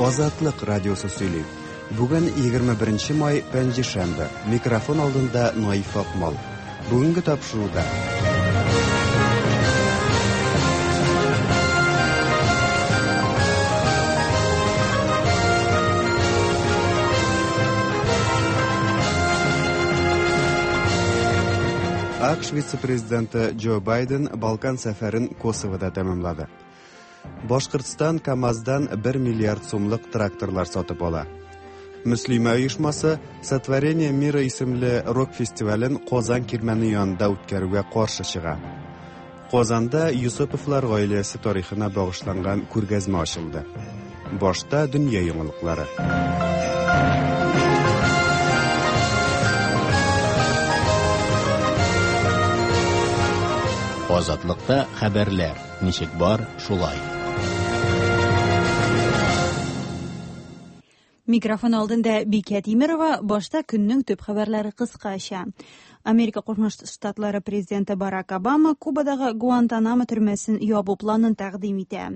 Азатлык радиосы сөйли. Бүген 21 май, пәнҗешәмбе. Микрофон алдында Наиф Акмал. Бүгенге тапшыруда. АКШ вице-президенты Джо Байден Балкан сәфәрен Косовода тәмамлады. Башкортстан КАМАЗдан 1 миллиард сумлык тракторлар сатып ала. Мөслимә оешмасы Сотворение мира исемле рок-фестивален Казан кирмәне янында үткәрүгә каршы чыга. Казанда Юсуповлар гаиләсе тарихына багышланган күргәзмә ачылды. Башта дөнья яңалыклары. Азатлыкта хәбәрләр. Ничек бар, шулай. Микрофон алдында Бикә Тимерова, башта көннең төп хәбәрләре кыскача. Америка Кушма Штатлары президенты Барак Обама Кубадагы Гуантанамо төрмәсен ябу планын тәкъдим итә.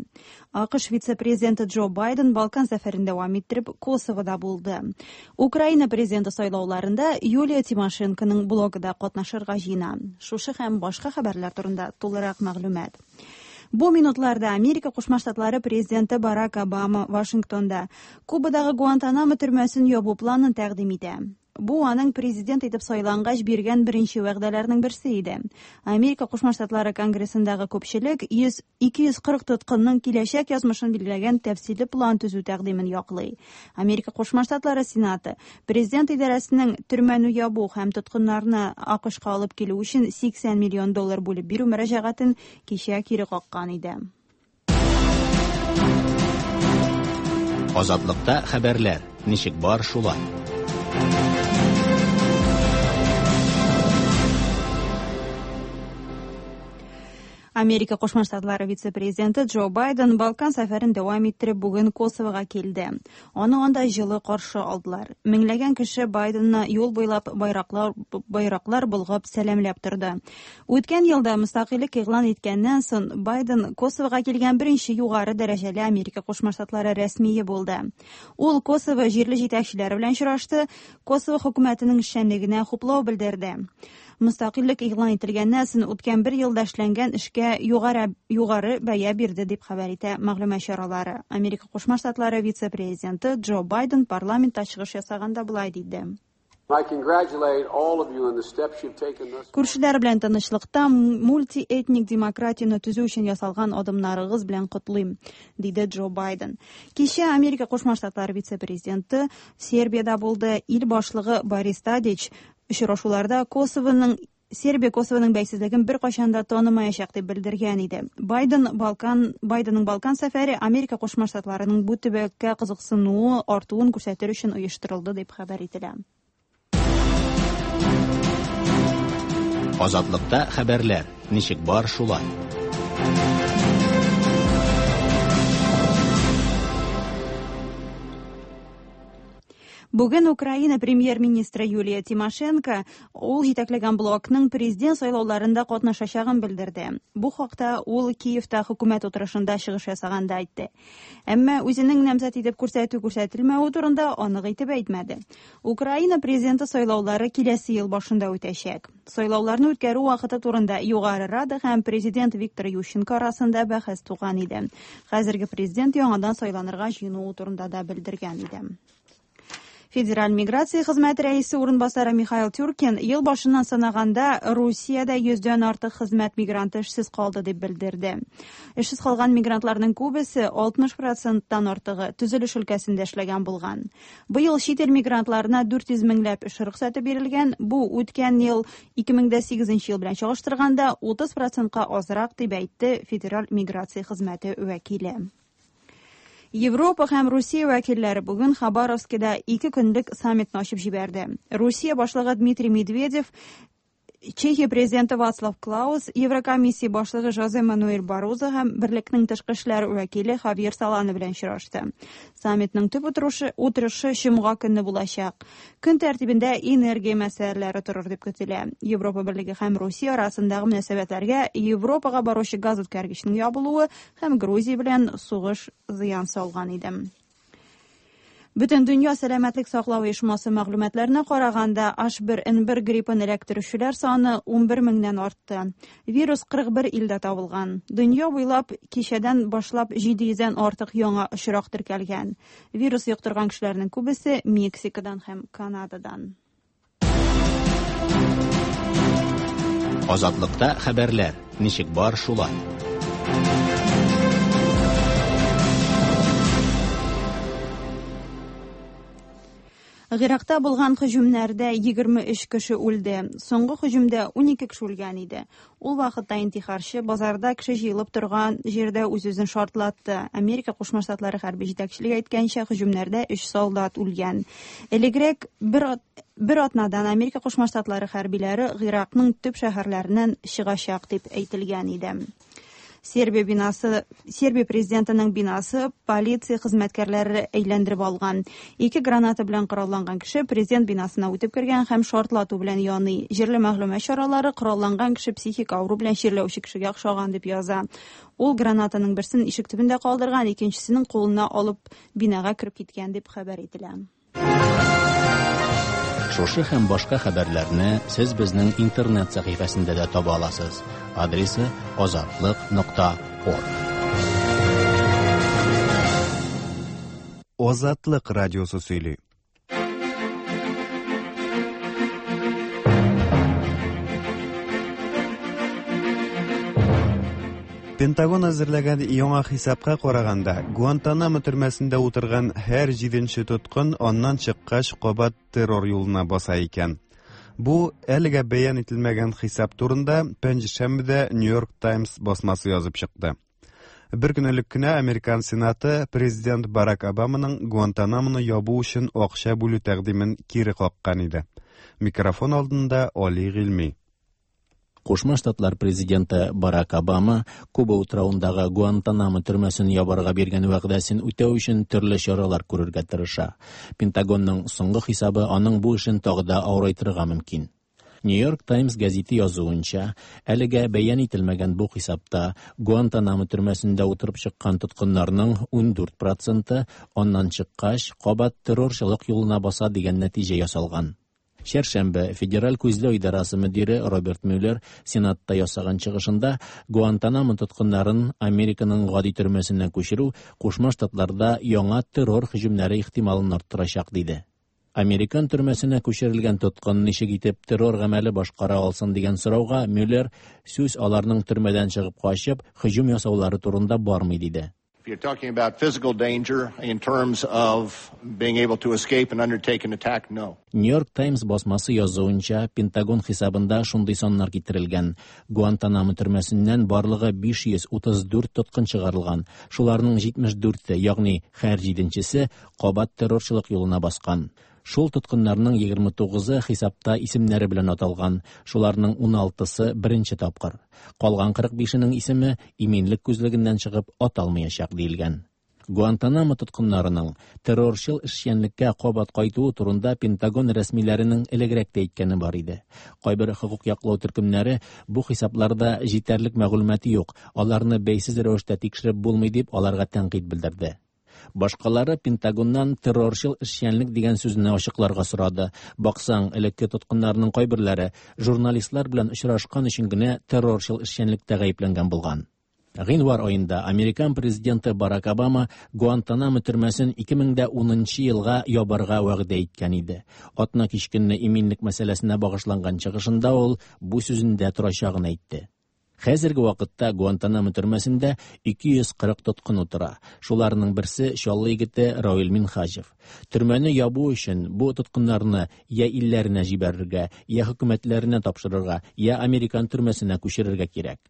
АКШ вице-президенты Джо Байден Балкан сәфәрен дәвам иттереп Косовода булды. Украина президенты сайлауларында Юлия Тимошенконың блогы да катнашырга җыена. Шушы һәм башка хәбәрләр турында тулырак мәгълүмат. Бу минутларда Америка Кушма Штатлары президенты Барак Обама Вашингтонда Кубадагы Гуантанамо төрмәсен ябу планын тәкъдим итә. Бу аның президент итеп сайлангач биргән беренче вәгъдәләрнең берсе иде. Америка Кушма Штатлары Конгрессындагы күпчелек 100 240 тоткынның киләчәк язмышын билгеләгән тәфсилле план төзү тәкъдимен яклый. Америка Кушма Штатлары Сенаты президент идарәсенең төрмәне ябу һәм тоткыннарны АКШка алып килү өчен 80 миллион доллар бүлеп бирү мөрәҗәгатен кичә кире каккан иде. Азатлыкта хәбәрләр. Ничек бар, шулай. Америка Кушма Штатлары вице-президенты Джо Байден Балкан сәфәрен дәвам иттереп бүген Косовога килде. Аны анда җылы каршы алдылар. Меңләгән кеше Байденны юл буйлап байраклар, байраклар болгап сәламләп торды. Үткән елда мөстәкыйльлек игълан иткәннән соң Байден Косовога килгән беренче югары дәрәҗәле Америка Кушма Штатлары рәсмие булды. Ул Косово җирле җитәкчеләре белән очрашты, Косово хөкүмәтенең эшчәнлегенә хуплау белдерде. Мөстәкыйльлек игълан ителгәннән соң үткән бер елда эшләнгән эшкә югары, югары бәя бирде, дип хәбәр итә мәгълүмат чаралары. Америка Кушма Штатлары вице-президенты Джо Байден парламентта чыгыш ясаганда болай диде. Күршеләр белән тынычлыкта мультиэтник демократияне төзү өчен ясалган адымнарыгыз белән котлыйм, диде Джо Байден. Кичә Америка Кушма Штатлары вице-президенты Сербиядә булды. Ил башлыгы Борис Тадич очрашуларда Косовоның Сербия Косовоның бәйсезлеген беркайчан да танымаячак дип белдергән иде. Байден Балкан Байденның Балкан сәфәре Америка Кушма Штатларының бу төбәккә кызыксынуы артуын күрсәтер өчен оештырылды дип хәбәр ителә. Азатлыкта хәбәрләр. Ничек бар, шулай. Бүген Украина премьер-министры Юлия Тимошенко ул җитәкләгән блокның президент сайлауларында катнашачагын белдерде. Бу хакта ул Киевта хөкүмәт утырышында чыгыш ясаганда әйтте. Әмма үзенең намзәт итеп күрсәтү күрсәтелмәве турында анык итеп әйтмәде. Украина президенты сайлаулары киләсе ел башында үтәчәк. Сайлауларны үткәрү вакыты турында Югары Рада һәм президент Виктор Ющенко арасында бәхәс туган иде. Хәзерге президент яңадан сайланырга җыенуы турында да белдергән иде. Федераль миграция хезмәте рәисе урынбасары Михаил Тюркин ел башыннан санаганда Русиядә йөздән артык хезмәт мигранты эшсез калды дип белдерде. Эшсез калган мигрантларның күбесе 60 проценттан артыгы төзелеш өлкәсендә эшләгән булган. Быел чит ил мигрантларына 400 меңләп эш рөхсәте бирелгән. Бу үткән ел 2008 ел белән чагыштырганда 30 процентка азрак дип әйтте Федераль миграция хезмәте вәкиле. Европа һәм Русия вәкилләре бүген Хабаровскида ике көнлек саммитны ачып җибәрде. Русия башлыгы Дмитрий Медведев, Чехия президенты Вацлав Клаус, Еврокомиссия башлыгы Жозе Мануэль Барозо һәм Берлекнең тышкы эшләр вәкиле Хавьер Солана белән очрашты. Саммитның төп утырышы, утырышы җомга көнне булачак. Көн тәртибендә энергия мәсьәләләре торыр дип көтелә. Европа Берлеге һәм Русия арасындагы мөнәсәбәтләргә Европага баручы газ үткәргечнең ябылуы һәм Грузия белән сугыш зыян салган иде. Бөтендөнья сәламәтлек саклау оешмасы мәгълүматларына караганда, H1N1 гриппын эләктерүчеләр саны 11 меңнән артты. Вирус 41 илдә табылган. Дөнья буйлап кичәдән башлап 700дән артык яңа очрак теркәлгән. Вирус йоктырган кешеләрнең күбесе Мексикадан һәм Канададан. Азатлыкта хәбәрләр, ничек бар шулай. Гыйракта булган һөҗүмнәрдә 23 кеше үлде. Соңгы һөҗүмдә 12 кеше үлгән иде. Ул вакытта интихарчы базарда кеше җыелып торган җирдә үз-үзен шартлатты. Америка Кушма Штатлары хәрби җитәкчелеге әйткәнчә, һөҗүмнәрдә 3 солдат үлгән. Элегрәк бер бер атнадан Америка Кушма Штатлары хәрбиләре Гыйракның төп шәһәрләреннән чыгачак дип әйтелгән иде. Сербия бинасы, Сербия президентының бинасы полиция хезмәткәрләре әйләндереп алган. Ике граната белән коралланган кеше президент бинасына үтеп кергән һәм шартлату белән яный. Җирле мәгълүмат чаралары коралланган кеше психик авыру белән чирләүче кешегә охшаган дип яза. Ул гранатаның берсен ишек төбендә калдырган, икенчесенең кулына алып бинага кереп киткән дип хәбәр ителә. Шушы һәм башка хәбәрләрне сез безнең интернет сәхифәсендә дә таба аласыз. Адресы azatliq.org. Азатлык радиосы сөйли. Пентагон әзерләгән яңа хисапка караганда, Гуантанамо төрмәсендә утырган һәр җиденче тоткын аннан чыккач кабат террор юлына баса икән. Бу әлегә бәян ителмәгән хисап турында пәнҗешәмбедә Нью-Йорк Таймс басмасы язып чыкты. Бер көн элек кенә Американ Сенаты президент Барак Обаманың Гуантанамоны ябу өчен акча бүлү тәкъдимен кире каккан иде. Микрофон алдында Али Гыйльми. Кушма Штатлар президенты Барак Обама Куба утравындагы Гуантанамо төрмәсен ябарга биргән вәгъдәсен үтәү өчен төрле чаралар күрергә тырыша. Пентагонның соңгы хисабы аның бу эшен тагы да авырайтырга мөмкин. Нью-Йорк Таймс гәзите язуынча, әлегә бәян ителмәгән бу хисапта Гуантанамо төрмәсендә утырып чыккан тоткыннарның 14%-ы аннан чыккач кабат террорчылык юлына баса дигән нәтиҗә ясалган. Чәршәмбе Федераль күзләү идарасы мөдире Роберт Мюллер Сенатта ясаган чыгышында Гуантанамо тоткыннарын Американың гади төрмәсеннән күчерү Кушма Штатларда яңа террор һөҗүмнәре ихтималын арттырачак диде. Американ төрмәсенә күчерелгән тоткын ничек итеп террор гамәле башкара алсын дигән сорауга Мюллер сүз аларның төрмәдән чыгып качып һөҗүм ясаулары турында бармый диде. If you're talking about physical danger in terms of being able to escape and undertake an attack, no. New York Times басмасы язуынча, Пентагон хисабында шундый саннар китерелгән. Гуантанамо төрмәсеннән барлыгы 534 тоткын чыгарылган. Шуларның 74-е, ягъни һәр җиденчесе кабат террорчылык юлына баскан. Шул тоткыннарның 29-ы хисапта исемнәре белән аталган, шуларның 16-сы беренче тапкыр. Калган 45-нең исеме иминлек күзлегеннән чыгып аталмаячак диелгән. Гуантанамо тоткыннарының террорчыл эшчәнлеккә кабат кайтуы турында Пентагон рәсмиләренең элегрәк тә әйткәне бар иде. Кайбер хокук яклау төркемнәре бу хисапларда җитәрлек мәгълүматы юк, аларны бәйсез рәвештә тикшереп булмый дип аларга тәнкыйть белдерде. Башкалары Пентагоннан террорчыл эшчәнлек дигән сүзне ачыкларга сорады. Баксаң, элекке тоткыннарның кайберләре журналистлар белән очрашкан өчен генә террорчыл эшчәнлектә гаепләнгән булган. Гыйнвар аенда Американ президенты Барак Обама Гуантанамо төрмәсен 2010 елга ябарга вәгъдә иткән иде. Атна кич көнне иминлек мәсьәләсенә багышланган чыгышында ул бу сүзендә торачагын әйтте. Хәзерге вакытта Гуантанамо төрмәсендә 240 тоткын утыра. Шуларның берсе Чаллы егете Равил Минһаҗев. Төрмәне ябу өчен бу тоткыннарны я илләренә җибәрергә, я хөкүмәтләренә тапшырырга, я американ төрмәсенә күчерергә кирәк.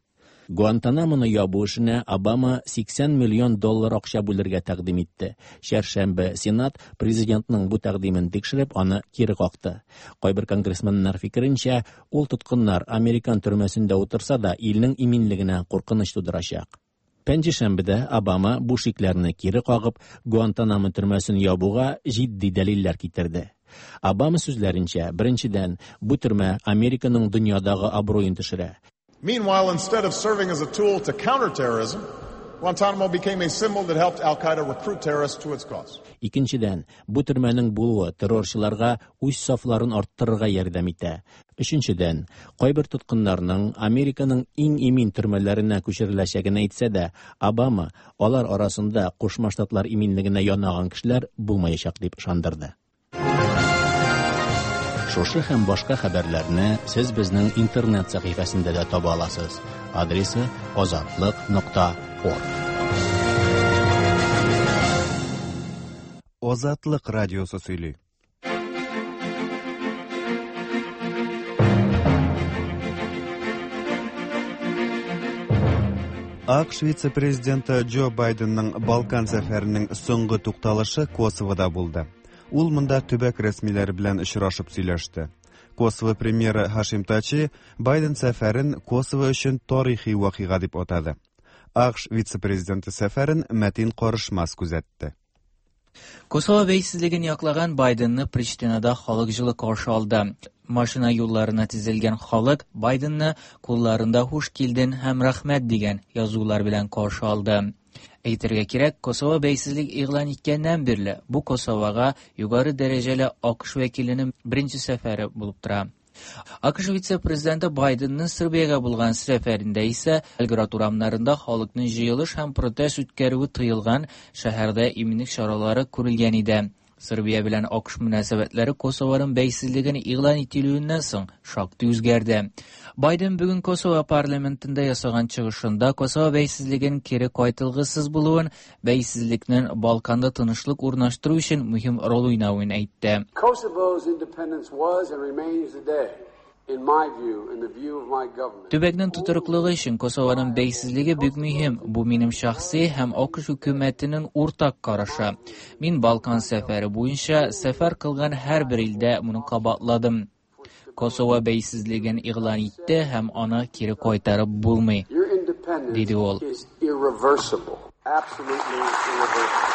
Гуантанамоны ябу эшенә Обама 80 миллион доллар акча бүлергә тәкъдим итте. Чәршәмбе Сенат президентның бу тәкъдимен тикшереп, аны кире какты. Кайбер конгрессменнар фикеренчә, ул тоткыннар американ төрмәсендә утырса да, илнең иминлегенә куркыныч тудырачак. Пәнҗешәмбедә Обама бу шикләрне кире кагып, Гуантанамо төрмәсен ябуга җитди дәлилләр китерде. Обама сүзләренчә, беренчедән, бу төрмә Американың дөньядагы абруен төшерә. Meanwhile, instead of serving as a tool to counter terrorism, Guantanamo became a symbol that helped Al Qaeda recruit terrorists to its cause. Икенчедән, бу төрмәнең булуы террорчыларга үз сафларын арттырырга ярдәм итә. Өченчедән, кайбер тоткыннарның Американың иң имин төрмәләренә күчереләчәген әйтсә дә, Обама алар арасында Кушма Штатлар иминлегенә янаган кешеләр булмаячак дип ышандырды. Шушы һәм башка хәбәрләрне сез безнең интернет сәхифәсендә дә таба аласыз. Адресы azatliq.org. Азатлык радиосы сөйли. АКШ вице-президенты Джо Байденның Балкан сәфәренең соңгы тукталышы Косовода булды. Ул монда төбәк рәсмиләре белән очрашып сөйләште. Косово премьеры Хашим Тачи Байден сәфәрен Косово өчен тарихи вакыйга дип атады. АКШ вице-президенты сәфәрен Мәтин Карышмас күзәтте. Косово бәйсезлеген яклаган Байденны Приштинада халык җылы каршы алды. Машина юлларына тезелгән халык Байденны кулларында хуш килден һәм рәхмәт дигән язулар белән каршы алды. Әйтергә кирәк, Косово бәйсезлек игълан иткәннән бирле бу Косовога югары дәрәҗәле АКШ вәкиленең беренче сәфәре булып тора. АКШ вице-президенты Байденның Сербиягә булган сәфәрендә исә Белград урамнарында халыкның җыелыш һәм протест үткәрүе тыелган шәһәрдә иминлек чаралары күрелгән иде. Сербия белән АКШ мөнәсәбәтләре Косованың бәйсезлеген игълан ителүеннән соң шактый үзгәрде. Байден бүген Косово парламентында ясаган чыгышында Косово бәйсезлеген кире кайтылгысыз булуын, бәйсезлекнең Балканда тынычлык урнаштыру өчен мөһим роль уйнавын әйтте. Kosovo's independence was and remains today, in my view and the view of my government. Төбәкнең тотрыклылыгы өчен Косованың бәйсезлеге бик мөһим. Бу минем шәхси һәм АКШ хөкүмәтенең уртак карашы. Мин Балкан сәфәре буенча сәфәр кылган һәрбер илдә моны кабатладым. Косово бәйсезлеген игълан итте һәм аны кире кайтарып булмый. Your independence Диде ул. is irreversible. Absolutely irreversible.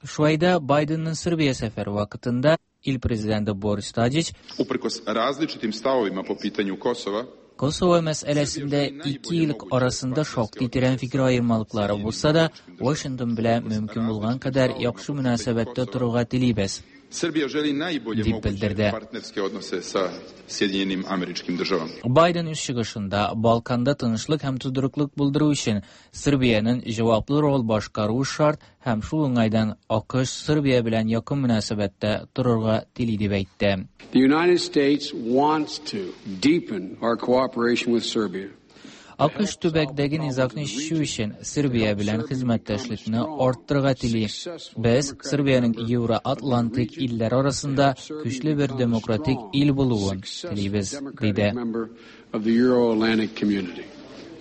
Шулай да Байденның Сербия сәфәре вакытында ил президенты Борис Тадич Uprkos različitim stavovima po pitanju Kosova, Косово мәсьәләсендә ике ил арасында шактый тирән фикер аермалыклары булса да, Вашингтон белән мөмкин булган кадәр яхшы мөнәсәбәттә торырга телибез. Srbija želi najbolje Дип moguće bildirdi. partnerske odnose sa Sjedinjenim američkim državama. Байден үз чыгышында Балканда тынычлык һәм тотрыклык булдыру өчен Сербиянең җаваплы роль башкаруы шарт һәм шул уңайдан АКШ Сербия белән якын мөнәсәбәттә торырга тели дип әйтте. The United States wants to deepen our cooperation with Serbia. АКШ төбәктәге низагны чишү өчен Сербия белән хезмәттәшлекне арттырырга тели. Без Сербиянең Евроатлантик илләр арасында көчле бер демократик ил булуын телибез, диде. Member of the Euro-Atlantic community.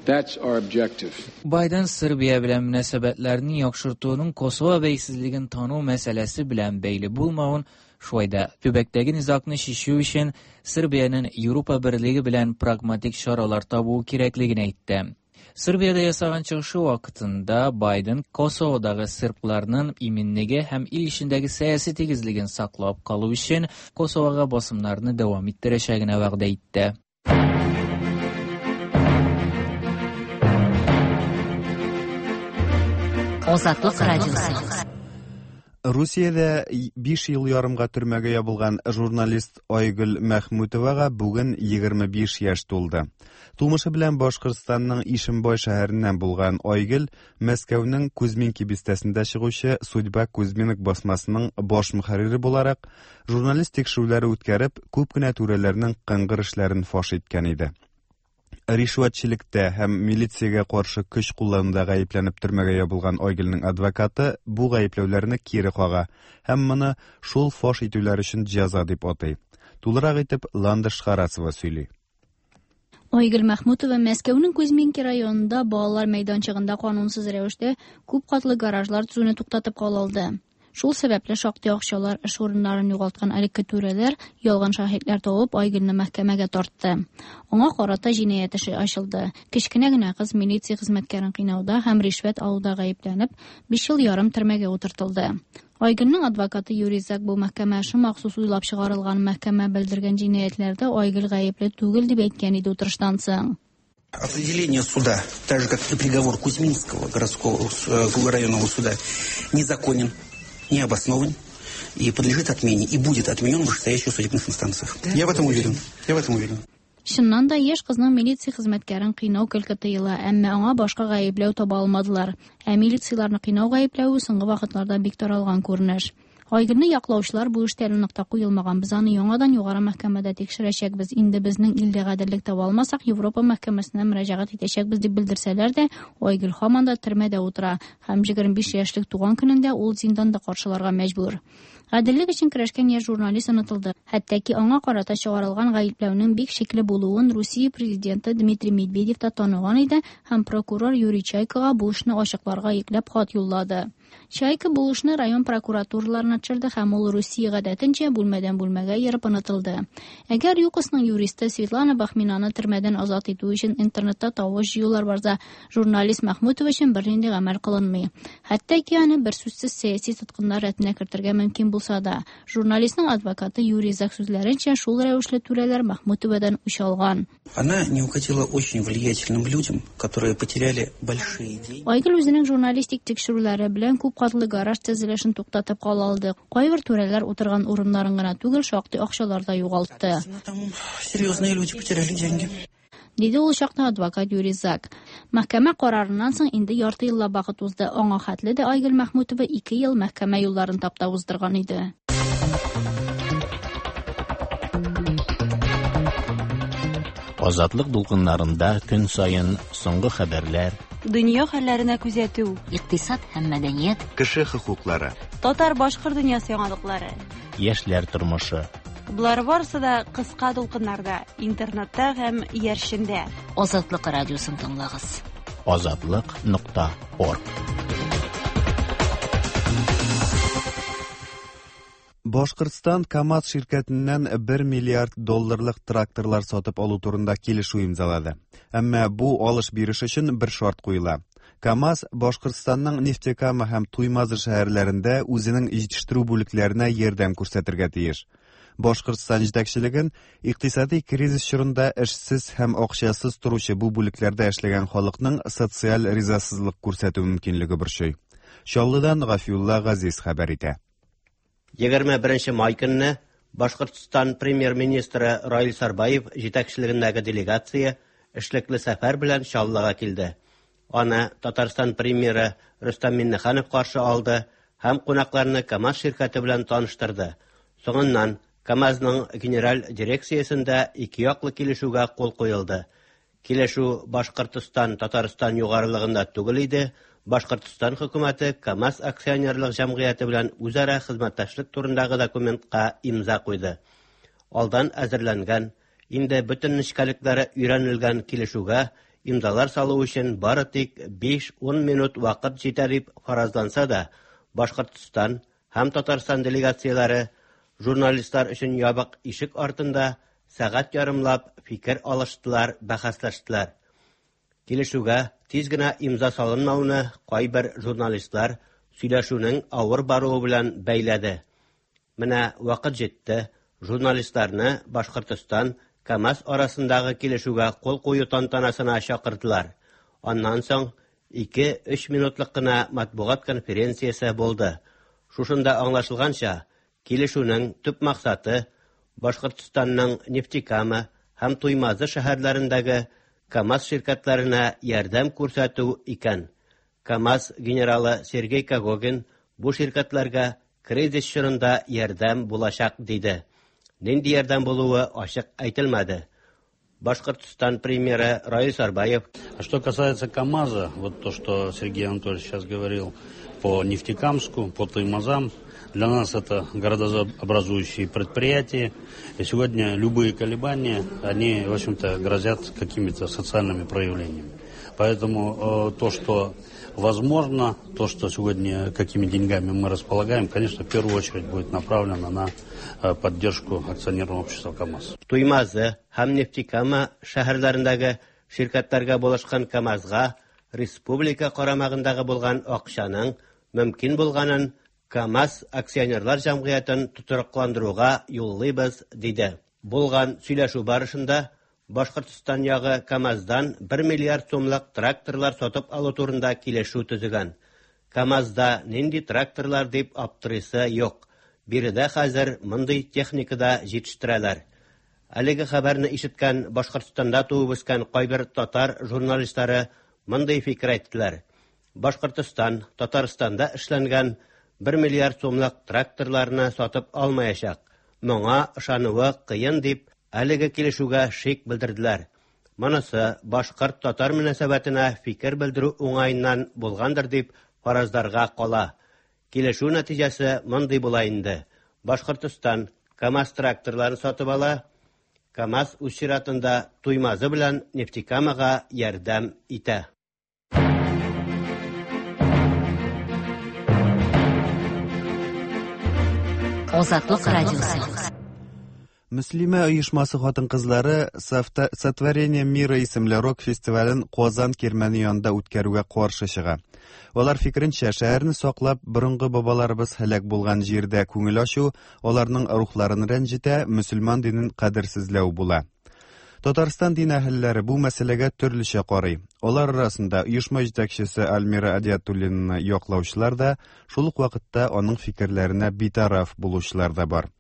That's our objective. Байден Сербия белән мөнәсәбәтләрне яхшыртуның Косово бәйсезлеген тану мәсьәләсе белән бәйле булмавын, шулай да төбәктәге низагны чишү өчен Сербиянең Европа берлеге белән прагматик чаралар табуы кирәклеген әйтте. Сербиядә ясаган чыгышы вакытында Байден Косоводагы сербларның иминлеге һәм ил эчендәге сәяси тигезлеген саклап калу өчен Косовога басымнарны дәвам иттерәчәгенә вәгъдә итте. Азатлык радиосы. Русиядә 5 ел ярымга төрмәгә ябылган журналист Айгөл Мәхмүтовага бүген 25 яшь тулды. Тумышы белән Башкортстанның Ишембай шәһәреннән булган Айгөл Мәскәүнең Кузьминки бистәсендә чыгучы Судьба Кузьминок басмасының баш мөхәррире буларак журналист тикшерүләре үткәреп, күп кенә түрәләрнең кыңгыр эшләрен фаш иткән иде. Ришвәтчелектә һәм милициягә каршы көч куллануда гаепләнеп төрмәгә ябылган Айгөлнең адвокаты бу гаепләүләрне кире кага һәм моны шул фаш итүләр өчен җәза дип атый. Тулырак итеп Ландыш Харасова сөйли. Айгөл Мәхмүтова Мәскәүнең Кузьминки районында балалар мәйданчыгында канунсыз рәвештә күп катлы гаражлар төзүне туктатып кала алды. Шул сәбәпле шактый акчалар эш урыннарын югалткан элекке түрәләр ялган шаһитләр табып Айгөлне мәхкәмәгә тартты. Аңа карата җинаять эше ачылды. Кечкенә генә кыз милиция хезмәткәрен кыйнауда һәм ришвәт алуда гаепләнеп, 5 ел ярым төрмәгә утыртылды. Айгөлнең адвокаты Юрий Зак бу мәхкәмә эше махсус уйлап чыгарылган мәхкәмә белдергән җинаятьләрдә Айгөл гаепле түгел дип әйткән иде утырыштан соң. Определение суда, так же как и приговор Кузьминского городского районного суда, незаконен, необоснован и подлежит отмене, и будет отменен в вышестоящих судебных инстанциях. Я в этом уверен. Я в этом уверен. Чыннан да, яшь кызның милиция хезмәткәрен кыйнау көлке тоела, әмма аңа башка гаепләү таба алмадылар. Ә милицияләрне кыйнау гаепләве соңгы вакытларда бик таралган күренеш. Айгөлне яклаучылар бу эштә әле нокта куелмаган. Без аны яңадан югары мәхкәмәдә тикшерәчәкбез. Инде безнең илдә гаделлек таба алмасак, Европа мәхкәмәсенә мөрәҗәгать итәчәкбез дип белдерсәләр дә, Айгөл һаман да төрмәдә утыра һәм 25 яшьлек туган көнендә ул зинданда каршыларга мәҗбүр. Гаделлек өчен көрәшкән яшь журналист онытылды. Хәтта ки аңа карата чыгарылган гаепләүнең бик шикле булуын Русия президенты Дмитрий Медведев та таныган иде һәм прокурор Юрий Чайкага бу эшне ачыкларга йөкләп хат юллады. Чайка бу эшне район прокуратураларына төшерде һәм ул Русия гадәтенчә бүлмәдән бүлмәгә йөреп онытылды. Әгәр ЮКОСның юристы Светлана Бахминаны төрмәдән азат итү өчен интернетта тавыш җыюлар барса, журналист Мәхмүтова өчен бернинди гамәл кылынмый. Хәтта ки аны берсүзсез сәяси тоткыннар рәтенә кертергә мөмкин булса да, журналистның адвокаты Юрий Зак сүзләренчә, шул рәвешле түрәләр Мәхмүтовадан үч алган. Она не угодила очень влиятельным людям, которые потеряли большие деньги. Айгөл үзенең журналистик тикшерүләре белән күп катлы гараж төзелешен туктатып кала алды. Кайбер түрәләр утырган урыннарын гына түгел, шактый акчалар да югалтты. Там серьезные люди потеряли деньги. Диде ул чакта адвокат Юрий Зак. Мәхкәмә карарыннан соң инде ярты еллап вакыт узды. Аңа хәтле дә Айгөл Мәхмүтова 2 ел мәхкәмә юлларын таптап уздырган иде. Азатлык дулкыннарында көн саен соңгы хәбәрләр, дөнья хәлләренә күзәтү, икътисад һәм мәдәният, кеше хокуклары, татар-башкорт дөньясы яңалыклары, яшьләр тормышы. Болар барысы да кыска дулкыннарда, интернетта һәм иярчендә. Азатлык радиосын тыңлагыз. Азатлык.орг. Башкортстан КАМАЗ ширкәтеннән 1 миллиард долларлык тракторлар сатып алу турында килешү имзалады. Әмма бу алыш-биреш өчен бер шарт куела. КАМАЗ Башкортстанның Нефтекама һәм Туймазы шәһәрләрендә үзенең җитештерү бүлекләренә ярдәм күрсәтергә тиеш. Башкортстан җитәкчелеген икътисади кризис чорында эшсез һәм акчасыз торучы бу бүлекләрдә эшләгән халыкның социаль ризасызлык күрсәтү мөмкинлеге борчый. Чаллыдан Гафиулла Газиз хәбәр итә. 21 май көнне Башкортстан премьер-министры Раил Сарбаев җитәкчелегендәге делегация эшлекле сәфәр белән Чаллыга килде. Аны Татарстан премьеры Рөстәм Миңнеханов каршы алды һәм кунакларны КАМАЗ ширкәте белән таныштырды. Соңыннан КАМАЗның генераль дирекциясендә ике яклы килешүгә кул куелды. Килешү Башкортстан, Татарстан югарылыгында түгел иде. Башкортстан хөкүмәте КАМАЗ акционерлык җәмгыяте белән үзара хезмәттәшлек турындагы документка имза куйды. Алдан әзерләнгән, инде бөтен нечкәлекләре өйрәнелгән килешүгә имзалар салу өчен бары тик 5-10 минут вакыт җитәр дип фаразланса да, Башкортстан һәм Татарстан делегацияләре журналистлар өчен ябык ишек артында сәгать ярымлап фикер алыштылар, бәхәсләштеләр. Килешүгә тиз генә имза салынмауны кайбер журналистлар сөйләшүнең авыр баруы белән бәйләде. Менә вакыт җитте, журналистларны Башкортстан КАМАЗ арасындагы килешүгә кул кую тантанасына чакырдылар. Аннан соң 2-3 минутлык кына матбугат конференциясе булды. Шушында аңлашылганча, килешүнең төп максаты Башкортстанның Нефтекама һәм Туймазы шәһәрләрендәге КАМАЗ ширкәтләренә ярдәм күрсәтү икән. КАМАЗ генералы Сергей Когогин бу ширкәтләргә кризис чорында ярдәм булачак диде. Нинди ярдәм булуы ачык әйтелмәде. Башкортстан премьеры Раил Сарбаев. А что касается КАМАЗа, вот то, что Сергей Анатольевич сейчас говорил по Нефтекамску, по Туймазам, для нас это городообразующие предприятия. И сегодня любые колебания, они, в общем-то, грозят какими-то социальными проявлениями. Поэтому то, что возможно, то, что сегодня, какими деньгами мы располагаем, конечно, в первую очередь будет направлено на поддержку акционерного общества КАМАЗ. Туймазы һәм Нефтекама шәһәрләрендәге ширкәтләргә булышкан КАМАЗга республика карамагындагы булган акчаның мөмкин булганын КАМАЗ акционерлар җәмгыятен тотрыкландыруга юллыйбыз, диде. Булган сөйләшү барышында Башкортстан ягы КАМАЗдан 1 миллиард сумлык тракторлар сатып алу турында килешү төзегән. КАМАЗда нинди тракторлар дип аптырыйсы юк. Биредә хәзер мондый техника да җитештерәләр. Әлеге хәбәрне ишеткән Башкортстанда туып үскән кайбер татар журналистлары мондый фикер әйттеләр. Башкортстан Татарстанда эшләнгән 1 миллиард сумлык тракторларны сатып алмаячак. Моңа ышануы кыен дип, әлеге килешүгә шик белдерделәр. Монысы башкорт-татар мөнәсәбәтенә фикер белдерү уңаеннан булгандыр дип фаразларга кала. Килешү нәтиҗәсе мондый була инде. Башкортстан КАМАЗ тракторларын сатып ала, КАМАЗ үз чиратында Туймазы белән Нефтекамага ярдәм итә. Азатлык радиосы. Мөслимә оешмасы хатын-кызлары Сотворение мира исемле рок фестивален Казан кирмәне янында үткәрүгә каршы чыга. Алар фикеренчә, шәһәрне саклап, борынгы бабаларыбыз һәлак булган җирдә күңел ачу, аларның рухларын рәнҗетә, мөселман динен кадерсезләү була. Татарстан дин әһелләре бу мәсьәләгә төрлечә карый. Алар арасында оешма җитәкчесе Альмира Адиатуллинаны яклаучылар да, шул ук вакытта аның фикерләренә битараф булучылар да бар.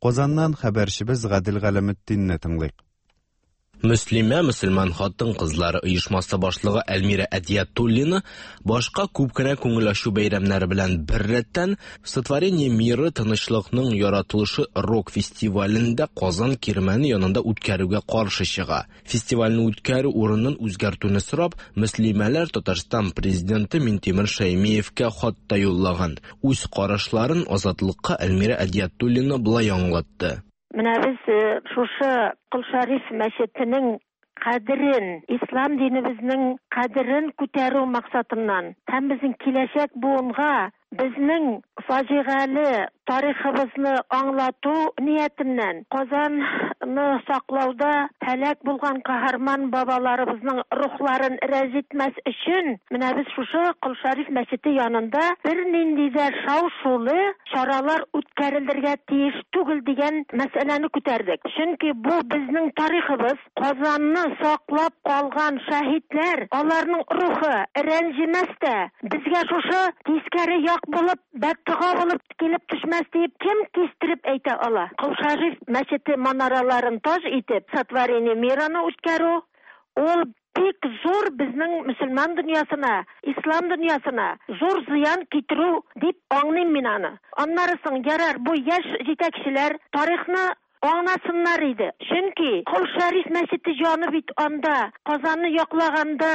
Казаннан хәбәрчебез Гадел Галәметдинне тыңлыйк. Мөслимә мөселман хатын-кызлары оешмасы башлыгы Әлмирә Әдиятуллина башка күп кенә күңел ачу бәйрәмнәре белән беррәттән Сотворение мира тынычлыкның яратылышы рок фестивален дә Казан кирмәне янында үткәрүгә каршы чыга. Фестивальне үткәрү урынын үзгәртүне сорап, мөслимәләр Татарстан президенты Минтимер Шәймиевкә хат та юллаган. Үз карашларын Азатлыкка Әлмирә Әдиятуллина болай аңлатты. Менә без шушы Кол Шәриф мәчетенең кадерен, ислам динебезнең кадерен күтәрү максатыннан һәм безнең киләчәк буынга безнең фаҗигале тарихыбызны аңлату ниятеннән Казанны саклауда һәлак булган каһарман бабаларыбызның рухларын рәнҗетмәс өчен менә без шушы Кол Шәриф мәчете янында бернинди дә шау-шулы чаралар үткәрелергә тиеш түгел дигән мәсьәләне күтәрдек. Чөнки бу безнең тарихыбыз, Казанны саклап калган шәһитләр, аларның рухы рәнҗемәс тә, безгә шушы тискәре як булып, бәддога булып килеп төшмәс диеп кем кистереп әйтә ала? Кол Шәриф мәчете манараларын таҗ итеп, Сотворение мираны үткәрү, ул бик зур безнең мөселман дөньясына, ислам дөньясына зур зыян китерү дип аңлыйм мин аны. Аннары соң, ярар, бу яшь җитәкчеләр тарихны аңласыннар иде. Чөнки Кол Шәриф мәчете җаны бит анда, Казанны яклаганда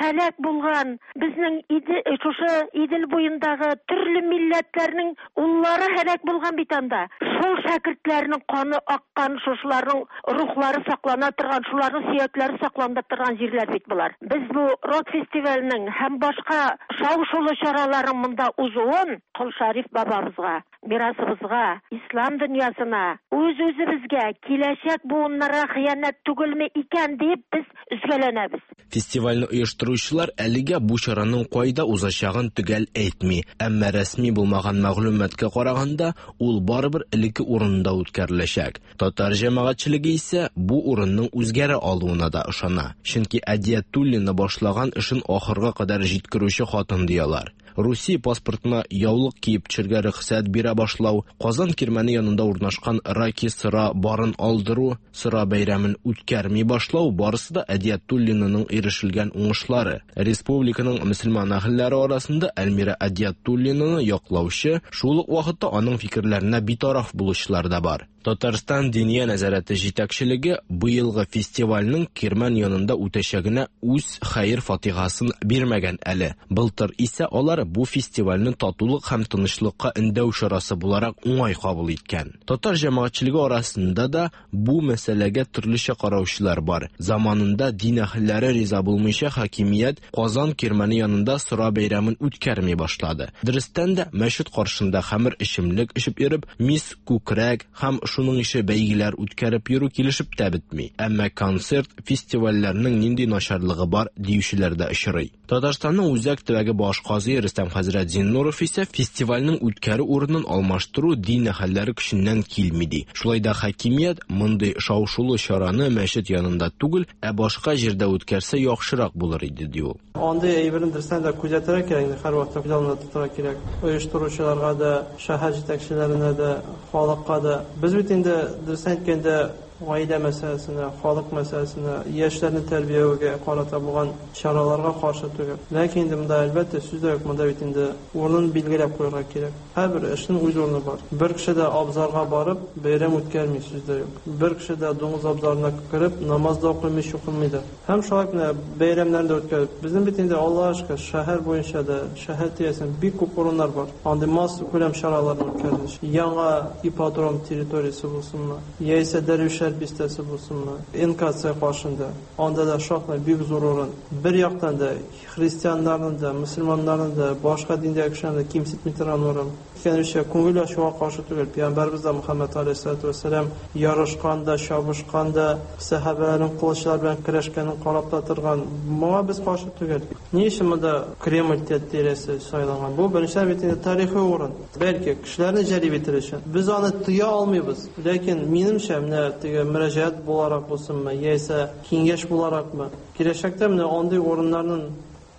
һәлак булган безнең иде, шушы Идел буендагы төрле милләтләрнең уллары һәлак булган бит анда. Шул шәкертләрнең каны аккан, шушыларның рухлары саклана торган, шуларның сөякләре саклана торган җирләр бит болар. Без бу рок фестиваленең һәм башка шау-шулы чараларның монда узуын Кол Шәриф бабабызга, мирасыбызга, ислам дөньясына, үз-үзебезгә, киләчәк буыннарга хыянәт түгелме икән дип без өзгәләнәбез. Фестивальне оештыручылар әлегә бу чараның кайда узачагын төгәл әйтми, әмма рәсми булмаган мәгълүматка караганда, ул барыбер элекке урынында үткәреләчәк. Татар җәмәгатьчелеге исә бу урынның үзгәрә алуына да ышана. Чөнки Әдиятуллина башлаган эшен ахырга кадәр җиткерүче хатын ди алар. Русия паспортына яулык киеп төшергә рөхсәт бирә башлау, Казан кирмәне янында урнашкан Раки сыра барын алдыру, сыра бәйрәмен үткәрми башлау барысы да Әдиятуллинаның ирешелгән уңышлары. Республиканың мөселман әһелләре арасында Әлмирә Әдиятуллинаны яклаучы, шул ук вакытта аның фикерләренә битараф булучылар да бар. Татарстан Диния нәзарәте җитәкчелеге быелгы фестивальнең Кирмән янында үтәчәгенә үз хәер-фатихасын бирмәгән әле. Былтыр исә алар бу фестивальне татулык һәм тынычлыкка өндәү чарасы буларак уңай кабул иткән. Татар җәмәгатьчелеге арасында да бу мәсьәләгә төрлечә караучылар бар. Заманында дин әһелләре риза булмыйча хакимият Казан Кирмәне янында сыра бәйрәмен үткәрми башлады. Дөрестән дә, мәчет каршында хәмер эчемлек эчеп йөреп, мис күкрәк һәм шуның ише бәйгеләр үткәреп йөрү килешеп тә бетми. Әмма концерт, фестивальләрнең нинди начарлыгы бар диючеләр дә очрый. Татарстанның үзәк төбәге баш казые Рөстәм хәзрәт Зиннуров исә фестивальнең үткәрү урынын алмаштыру дин әһелләре көченнән килми ди. Шулай да хакимият мондый шау-шулы чараны мәчет янында түгел, ә башка җирдә үткәрсә яхшырак булыр иде ди ул. Андый әйберне дөрестән дә күзәтергә кирәк инде, һәрвакытта күз алдында тотарга кирәк. Оештыручыларга да, шәһәр җитәкчеләренә дә, халыкка да. Без бит инде, дөресен әйткәндә, гаилә мәсьәләсенә, халык мәсьәләсенә, яшьләрне тәрбияләүгә карата булган чараларга каршы түгел. Ләкин инде монда, әлбәттә, сүз дә юк, монда бит инде урынын билгеләп куярга кирәк. Һәрбер эшнең үз урыны бар. Бер кеше дә абзарга барып, бәйрәм үткәрми, сүз дә юк. Бер кеше дә дуңгыз абзарына кереп, намаз да укымый, чукынмый да. Һәм шулай ук менә бәйрәмнәрне дә үткәреп. Безнең бит инде, Аллага шөкер, шәһәр буенча да, шәһәр тирәсендә бик күп урыннар бар. Андый массакүләм чараларны үткәрү өчен. Яңа ипподром территориясе булсынмы, яисә Дәрвишләр бистәсе булсынмы, НКЦ каршында, анда да шактый бик зур урын. Бер яктан да христианнарны да, мөселманнарны да, башка диндәге кешеләрне дә кимсетми торган урын. Әйткәнебезчә, күңел ачуга каршы түгел. Пәйгамбәребез дә Мөхәммәд галәйһиссәләтү вәссәлам ярышкан да, чабышкан да, сәхабәләрнең кылычлар белән көрәшкәнен карап та торган. Моңа без каршы түгел. Ни өчен монда Кремль тирәсе сайланган? Бу, беренчедән, бит инде тарихи урын. Бәлки, кешеләрне җәлеп итер өчен. Без аны тыя алмыйбыз. Ләкин, минемчә, менә теге мөрәҗәгать буларак булсынмы, яисә киңәш буларакмы, киләчәктә менә андый урыннарның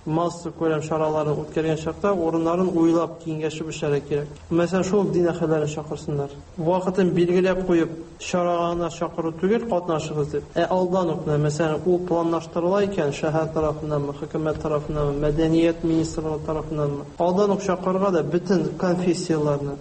массакүләм чараларын үткәргән чакта урыннарын уйлап, киңәшеп эшләргә кирәк. Мәсәлән, шул ук дин әһелләрен чакырсыннар. Вакытын билгеләп куеп, чарага гына чакыру түгел, катнашыгыз дип, ә алдан ук менә, мәсәлән, ул планлаштырыла икән, шәһәр тарафыннанмы, хөкүмәт тарафыннанмы, мәдәният министрлыгы тарафыннанмы, алдан ук чакырырга да бөтен конфессияләрне,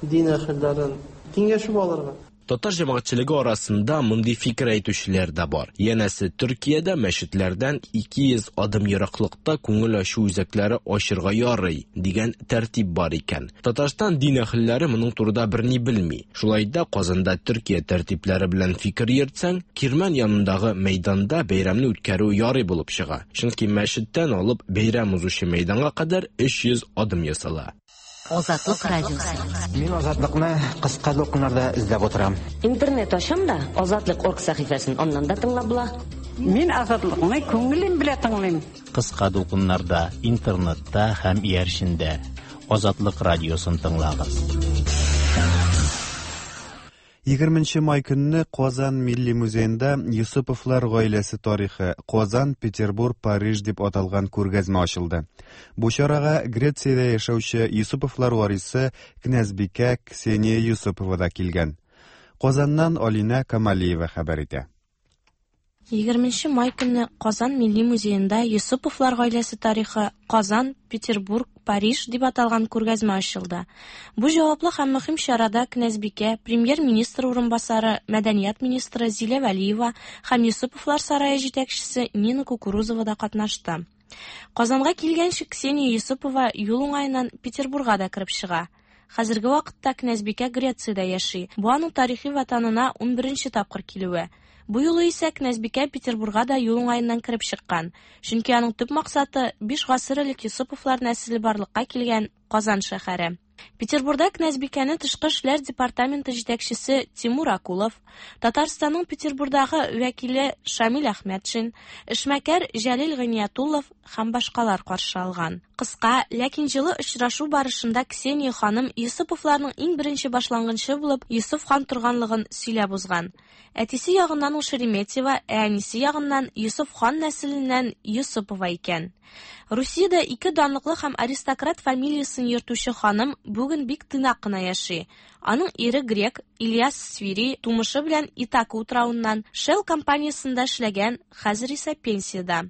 дин әһелләрен киңәшеп алырга. Татар җәмәгатьчелеге арасында мондый фикер әйтүчеләр дә бар. Янәсе, Төркиядә мәчетләрдән 200 адым ераклыкта күңел ачу үзәкләре ачырга ярый, дигән тәртип бар икән. Татарстан дин әһелләре моның турыда берни белми. Шулай да Казанда Төркия тәртипләре белән фикер йөртсәң, Кирмән янындагы мәйданда бәйрәмне үткәрү ярый булып чыга. Чөнки мәчеттән алып бәйрәм узучы мәйданга кадәр 300 адым ясала. Азатлык радиосы. Мин Азатлыкны кыска дулкыннарда эзләп утырам. Интернет ачам да, Азатлык орг сәхифәсен аннан да тыңлап була. Мин Азатлыкны күңелем белән тыңлыйм. Кыска дулкыннарда, интернетта һәм иярчендә. Азатлык радиосын тыңлагыз. 20 май көнне Казан Милли музеенда Йосыповлар гаиләсе тарихы, Казан, Петербург, Париж дип аталган күргәзмә ачылды. Бу чарага Грециядә яшәүче Йосыповлар варисы князьбикә Ксения Йосыпова да килгән. Казаннан Алинә Камалиева хәбәр итә. 20 май көнне Казан Милли музеенда Йосыповлар гаиләсе тарихы Казан, Петербург, Париж дип аталган күргәзмә ачылды. Бу җаваплы һәм мөһим чарада князьбикә, премьер-министр урынбасары, мәдәният министры Зилә Вәлиева һәм Йосыповлар сарае җитәкчесе Нина Кукурузова да катнашты. Казанга килгәнче Ксения Йосыпова юл уңаеннан Петербурга да кереп чыга. Хәзерге вакытта князьбикә Грециядә яши. Бу аның тарихи ватанына унберенче тапкыр килүе. Бу юлы исә князьбикә Петербурга да юл уңаеннан кереп чыккан. Чөнки аның төп максаты, биш гасыр элек Йосыповлар нәселе барлыкка килгән Казан шәһәре. Петербурда князьбикәне тышкы эшләр департаменты җитәкчесе Тимур Акулов, Татарстанның Петербурдагы вәкиле Шамил Әхмәтшин, эшмәкәр Җәлил Гыйниятуллов һәм башкалар каршы алган. Кыска, ләкин җылы очрашу барышында Ксения ханым Йосыповларның иң беренче башлангычы булып Йосыф хан торганлыгын сөйләп узган. Әтисе ягыннан ул Шереметьево, ә әнисе ягыннан Йосыф хан нәселеннән Йосыпова икән. Русиядә ике данлыклы һәм аристократ фамилиясен йөртүче ханым бүген бик тыйнак кына яши. Аның ире грек Ильяс Свири тумышы белән Итака утравыннан, Shell компаниясендә эшләгән, хәзер исә пенсиядә.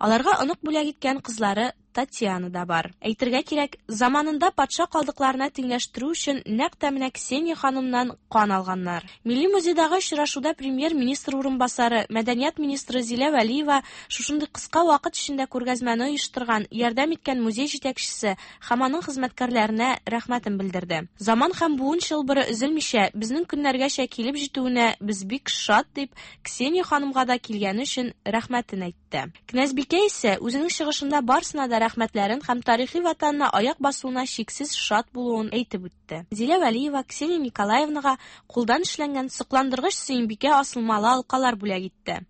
Аларга онык бүләк иткән кызлары Татьяна да бар. Әйтергә кирәк, заманында патша калдыкларына тиңләштерү өчен нәкъ тә менә Ксения ханымнан кан алганнар. Милли музейдагы очрашуда премьер-министр урынбасары, мәдәният министры Зилә Вәлиева шушындый кыска вакыт эчендә күргәзмәне оештырган, ярдәм иткән музей җитәкчесе һәм аның хезмәткәрләренә рәхмәтен белдерде. Заман һәм буын чылбыры өзелмичә, безнең көннәргәчә килеп җитүенә без бик шат, дип, Ксения ханымга да килгәне өчен рәхмәтен әйтте. Князьбикә исә үзенең чыгышында барысына да рәхмәтләрен һәм тарихи ватанына аяк басуына чиксез шат булуын әйтеп үтте. Зилә Вәлиева Ксения Николаевнага кулдан эшләнгән сокландыргыч Сөембикә асылмалы алкалар бүләк итте.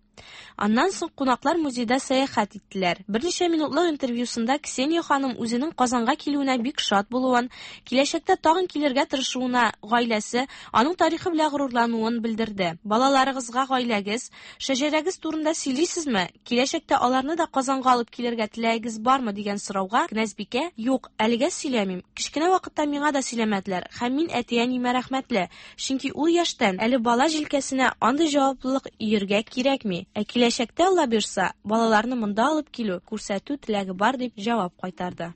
Аннан соң кунаклар музейда сәяхәт иттеләр. Берничә минутлык интервьюсында Ксения ханым үзенең Казанга килүенә бик шат булуын, киләчәктә тагын килергә тырышуына, гаиләсе, аның тарихы белән горурлануын белдерде. Балаларыгызга гаиләгез, шәҗәрәгез турында сөйлисезме? Киләчәктә аларны да Казанга алып килергә теләгегез бармы дигән сорауга Кнәзбикә, Юк, әлегә сөйләмим. Кечкенә вакытта миңа да сөйләмәделәр һәм мин әти-әниемә рәхмәтле. Чөнки ул яшьтән әле бала җилкәсенә андый җаваплылык өергә кирәкми. Ә киләчәктә, Алла боерса, балаларны монда алып килү, күрсәтү теләге бар, дип җавап кайтарды.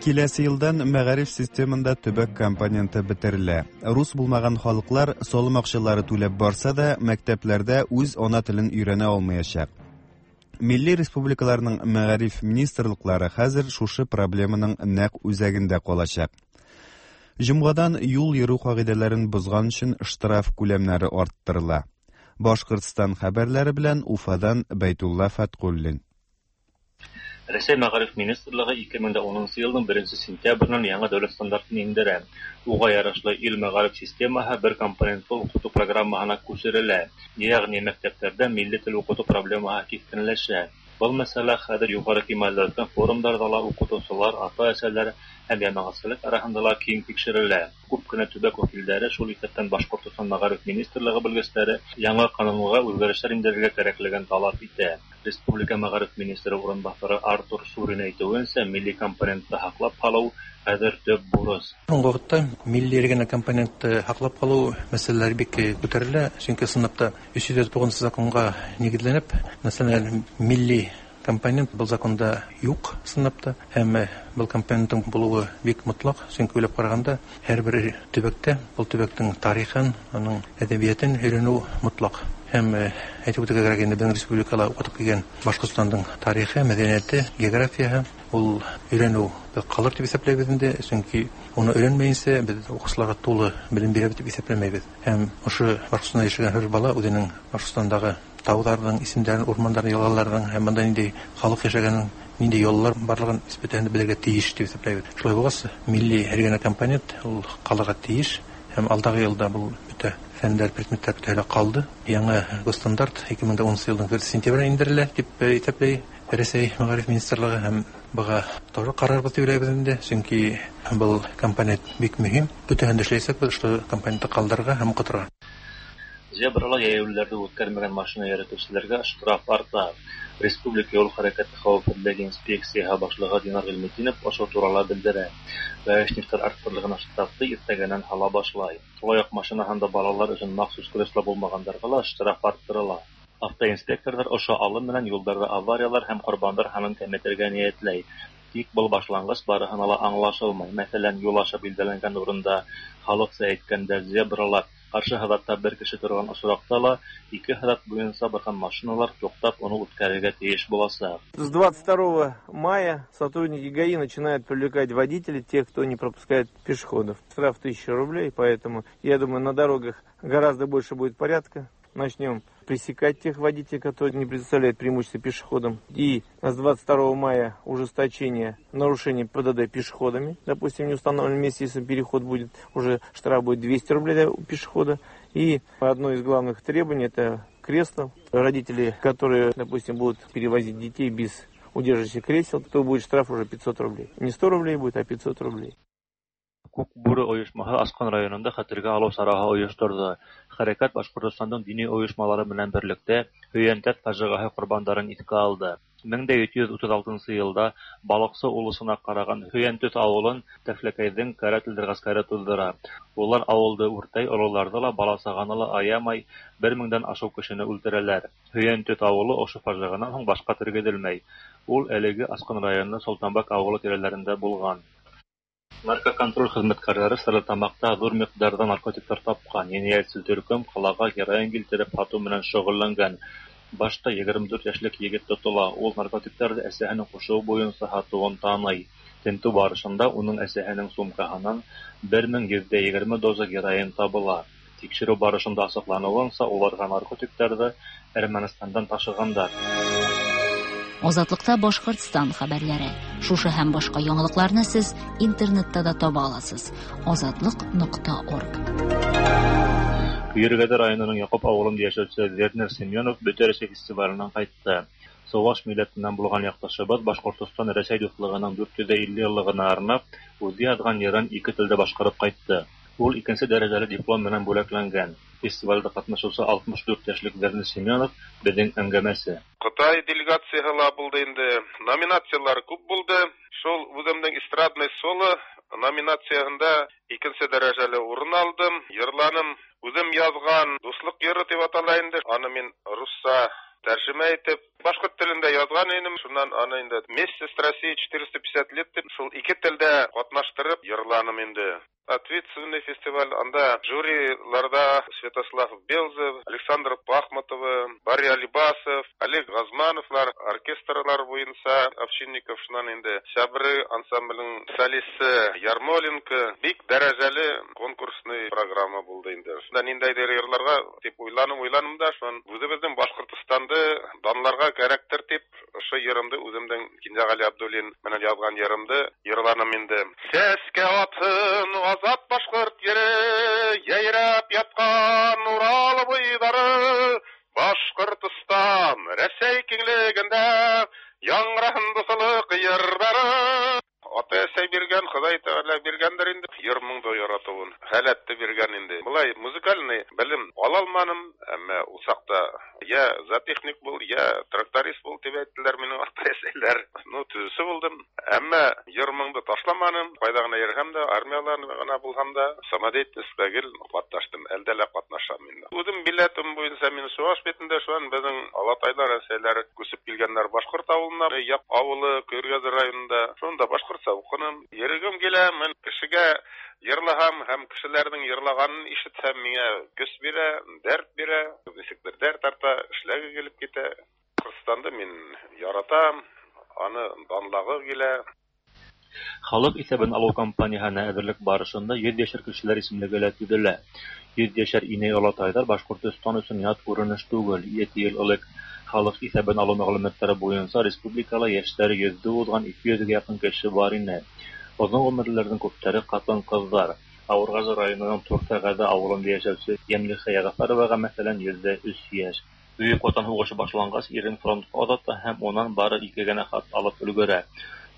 Киләсе елдан мәгариф системында төбәк компоненты бетерелә. Рус булмаган халыклар салым акчалары түләп барса да, мәктәпләрдә үз ана телен өйрәнә алмаячак. Милли республикаларның мәгариф министрлыклары хәзер шушы проблеманың нәкъ үзәгендә калачак. Җомгадан юл йөрү кагыйдәләрен бозган өчен штраф күләмнәре арттырыла. Башкортстан хәбәрләре белән Уфадан Бәйтулла Фәткуллин. Рәсәй Мәгариф министрлыгы 2010 елның 1 сентябреннән яңа дәүләт стандартын индерә. Уга ярашлы ил мәгариф системаһы бер компонентлы укыту программаһына күчерелә. Ягъни мәктәпләрдә милли тел укыту проблемаһы кискенләшә. Был мәсьәлә хәҙер юғары кимәлдә үткән форумдарҙа ла уҡытыусылар, ата-әсәләр һәм йәмәғәтселек араһында ла киң тикшерелә. Күп кенә төбәк вәкилдәре, шул иҫәптән Башҡортостан мәғариф министрлығы белгестәре яңа ҡанунға үҙгәрештәр индерергә кәрәклеген талап итә. Республика мәғариф министры урынбаҫары Артур Сурин әйтеүенсә, милли компонентты һаҡлап ҡалыу хәҙер төп бурыс. Һуңғы ваҡытта милли региональ компонентты һаҡлап ҡалыу мәсьәләләре бик күтәрелә, сөнки ысынлап та 309 законға нигеҙләнеп, националь милли компонент был законда юҡ ысынлап та, һәм был компоненттың булыуы бик мотлаҡ, сөнки уйлап ҡарағанда һәр бер төбәктә был төбәктең тарихын, уның әҙәбиәтен өйрәнеү мотлаҡ. Һәм әйтеп үтергә кәрәк инде, беҙҙең республикала уҡытып килгән Башҡортостандың тарихы, мәҙәниәте, географияһы ул өйрәнеү ҡалыр тип иҫәпләйбеҙ инде, сөнки уны өйрәнмәйенсә беҙ уҡыусыларға тулы белем бирәбеҙ тип иҫәпләмәйбеҙ. Һәм ошо Башҡортостанда йәшәгән һәр бала үҙенең Башҡортостандағы тауҙарҙың исемдәрен, урмандарҙың, йылғаларҙың һәм бында ниндәй халыҡ йәшәгәнен, ниндәй йолалар барлығын бөтәһен дә белергә тейеш тип иҫәпләйбеҙ. Шулай булғас, милли региональ компонент ул ҡалырға тейеш һәм алдағы йылда был бөтә фәндәр, предметтар бөтәһе лә ҡалды. Яңы госстандарт 2010 йылдың 1 сентябренә индерелә тип иҫәпләй Рәсәй мәғариф министрлығы һәм быға тоже ҡарарбыҙ тип уйлайбыҙ инде, сөнки был компонент бик мөһим. Бөтәһен дә эшләйәсәкбеҙ, ошо компонентты ҡалдырырға һәм уҡытырға. Зебрала йәйәүлеләрҙе үткәрмәгән машина йөрөтөүселәргә штраф арта. Республика юл хәрәкәте хәүефһеҙлеге инспекцияһы башлығы Динар Ғилметдинов ошо турала белдерә. Гаишниктар арттырылған штрафты иртәгәнән һала башлай. Шулай уҡ машинаһында балалар өсөн махсус кресло булмағандарға ла штраф арттырыла. Автоинспекторҙар ошо алым менән юлдарҙа авариялар һәм ҡорбандар һанын кәметергә ниәтләй. Тик был башланғыс барыһына ла аңлашылмай. Мәҫәлән, юл аша билдәләнгән урында халыҡса әйткәндә зебрала ҡаршы һыҙатта бер кеше торған осраҡта ла ике һыҙат буйынса барған машиналар туҡтап уны үткәрергә тейеш буласаҡ. С 22 мая сотрудники ГАИ начинают привлекать водителей, тех, кто не пропускает пешеходов. Штраф 1000 рублей, поэтому, я думаю, на дорогах гораздо больше будет порядка. Начнем пресекать тех водителей, которые не предоставляют преимущество пешеходам. И с 22 мая ужесточение нарушений ПДД пешеходами. Допустим, в неустановленном месте, если переход будет, уже штраф будет 200 рублей для пешехода. И одно из главных требований – это кресло. Родители, которые, допустим, будут перевозить детей без удерживающих кресел, то будет штраф уже 500 рублей. Не 100 рублей будет, а 500 рублей. Күк бүре ойошмаһы Асҡан районында хәтергә алыу сараһы ойошторҙо. Хәрәкәт Башҡортостандың дини ойошмалары менән берлектә Һөйәнтәт фажиғаһы ҡорбандарын иҫкә алды. 1736 йылда Балыҡсы улусына ҡараған Һөйәнтөҫ ауылын Тәфләкәйҙең карателдәр ғәскәре туҙҙыра. Улар ауылды үртәй, ололарҙы ла, бала-сағаны ла аямай, 1000-дән ашыу кешене үлтерәләр. Һөйәнтөҫ ауылы ошо фажиғанан һуң башҡа тергеҙелмәй. Ул әлеге Асҡан районы Солтанбәк ауылы тирәләрендә булған. Наркоконтроль хеҙмәткәрҙәре Стәрлетамаҡта ҙур миҡдарҙа наркотиктар тапҡан. Енәйәтсел төркөм ҡалаға героин килтереп һатыу менән шөғөлләнгән. Башта 24 йәшлек егет тотола. Ул наркотиктарҙы әсәһенең ҡушыуы буйынса һатыуын таный. Тентеү барышында уның әсәһенең сумкаһынан 1120 доза героин табыла. Тикшерү барышында ачыклануынча, уларга наркотикларны Әрмәнстаннан ташыганнар. Азатлыкта Башкортстан хәбәрләре. Шушы һәм башка яңалыкларны сез интернетта да таба аласыз. Азатлык.орг. Көергәде районының Якуп авылында яшәүче Вернер Семенов Бөтә Рәсәй фестиваленнән кайтты. Чуваш милләтеннән булган якташыбыз Башкортостан Рәсәй дуслыгының 450 еллыгына арнап, үзе язган җырын ике телдә башкарып кайтты. Ул икенче дәрәҗәле диплом белән бүләкләнгән. Фестивальдә катнашучы 64 яшьлек Вернер Семенов безнең әңгәмәсе. Кытай делегацияһы ла булды инде. Номинацияләр күп булды. Шул үземнең эстрадный соло номинацияһында икенче дәрәҗәле урын алдым. Йырланым үзем язган Дуслык йыры дип атала инде. Аны мин русча тәрҗемә итеп, башкорт телендә язган идем. Шуннан аны инде Вместе с Россией 450 лет дип шул ике телдә катнаштырып йырланым инде. Ответственный фестиваль. Анда жюриларда Святослав Белзев, Александр Пахматова, Барри Алибасов, Олег Газмановлар, оркестрлар буенча Овчинников, шуннан инде Сябры ансамблінің солисты Ярмоленко. Бик дәрәҗәле конкурсный программа булды инде. Шунда ниндәйдер йырларга дип уйланым, уйланым да, шуннан үзебезнең Башкортостанды данларга кәрәктер дип, ошо йырымды үземнең Кинҗәгали Абдуллин менән язган йырымды йырланым инде. Сәскә атын азат башкорт ере, яйрап яткан Урал буйлары, Башкортостан Рәсәй киңлегендә яңгыраһын дуслык йырлары. Ата-әсәй биргән, Ходай Тәгалә биргәндер инде, йыр моңды яратуын, халәтте биргән инде. Болай музыкальный белем ала алманым, әмма ул чакта я зоотехник бул, я тракторист бул дип әйттеләр минем ата-әсәйләр. Ну, төзүче булдым. Әмма йыр моңды ташламаным. Кайда гына йөрһәм дә, армиялар гына булһам да, самодеятельностьта гел катнаштым, әлдә лә катнашам инде. Үзем билетым буенча мин Чуаш битендә, шуннан безнең алатайлар, әсәйләр күчеп килгәннәр башкорт авылына, Як авылы, Көергәзе районында. Шунда башкортча укыным. Йөрегем килә, мин кешегә йырлаһам һәм кешеләрнең йырлаганын ишетсәм, миңа көч бирә, дәрт бирә, ничектер дәрт арта, эшләге килеп китә. Башкортстанды мин яратам, аны данлагы килә. Халык исәбен алу кампанияһенә әҙерлек барышында 100 йәшәр кешеләр исемлеге лә төҙөлә. 100 йәшәр инәй-олатайҙар Башҡортостан өсөн ят күренеш түгел. 7 йыл элек халыҡ иҫәбен алыу мәғлүмәттәре буйынса республикала йәштәре 100-ҙе уҙған 200-гә яҡын кеше бар ине. Оҙон ғүмерлеләрҙең күптәре ҡатын-ҡыҙҙар. Ауырғазы районының Туртағәҙе ауылында йәшәүсе Йәмлихә Йәғәфәроваға, мәҫәлән, 103 йәш. Бөйөк Ватан һуғышы башланғас, ирен фронтҡа оҙата һәм унан бары ике генә хат алып өлгөрә.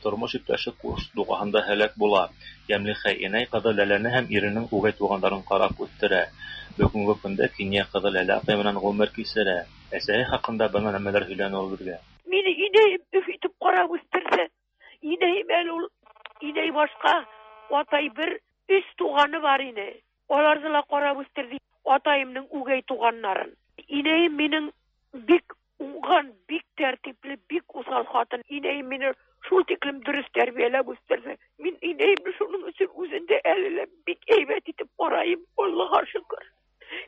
Тормош иптәше Курск дуғаһында һәләк була. Йәмлихә инәй ҡыҙы Ләләне һәм иренең үгәй туғандарын ҡарап үҫтерә. Бөгөнгө көндә кинйә ҡыҙы Ләлә апай менән ғүмер кисерә. Әсәһе хаҡында бына нәмәләр һөйләне ул беҙгә. Мине инәйем өф итеп ҡарап үҫтерҙе. Инәйем әле ул, инәй башҡа, атай бер өс туғаны бар ине. Аларҙы ла ҡарап үҫтерҙе, атайымдың үгәй туғаннарын. Инәйем минең бик уңған, бик тәртипле, бик уҫал ҡатын. Инәйем мине шул тиклем дөрөҫ тәрбиәләп үҫтерҙе. Мин инәйемде шуның өсөн үҙен дә әле лә бик һәйбәт итеп ҡарайым, Аллаға шөкөр.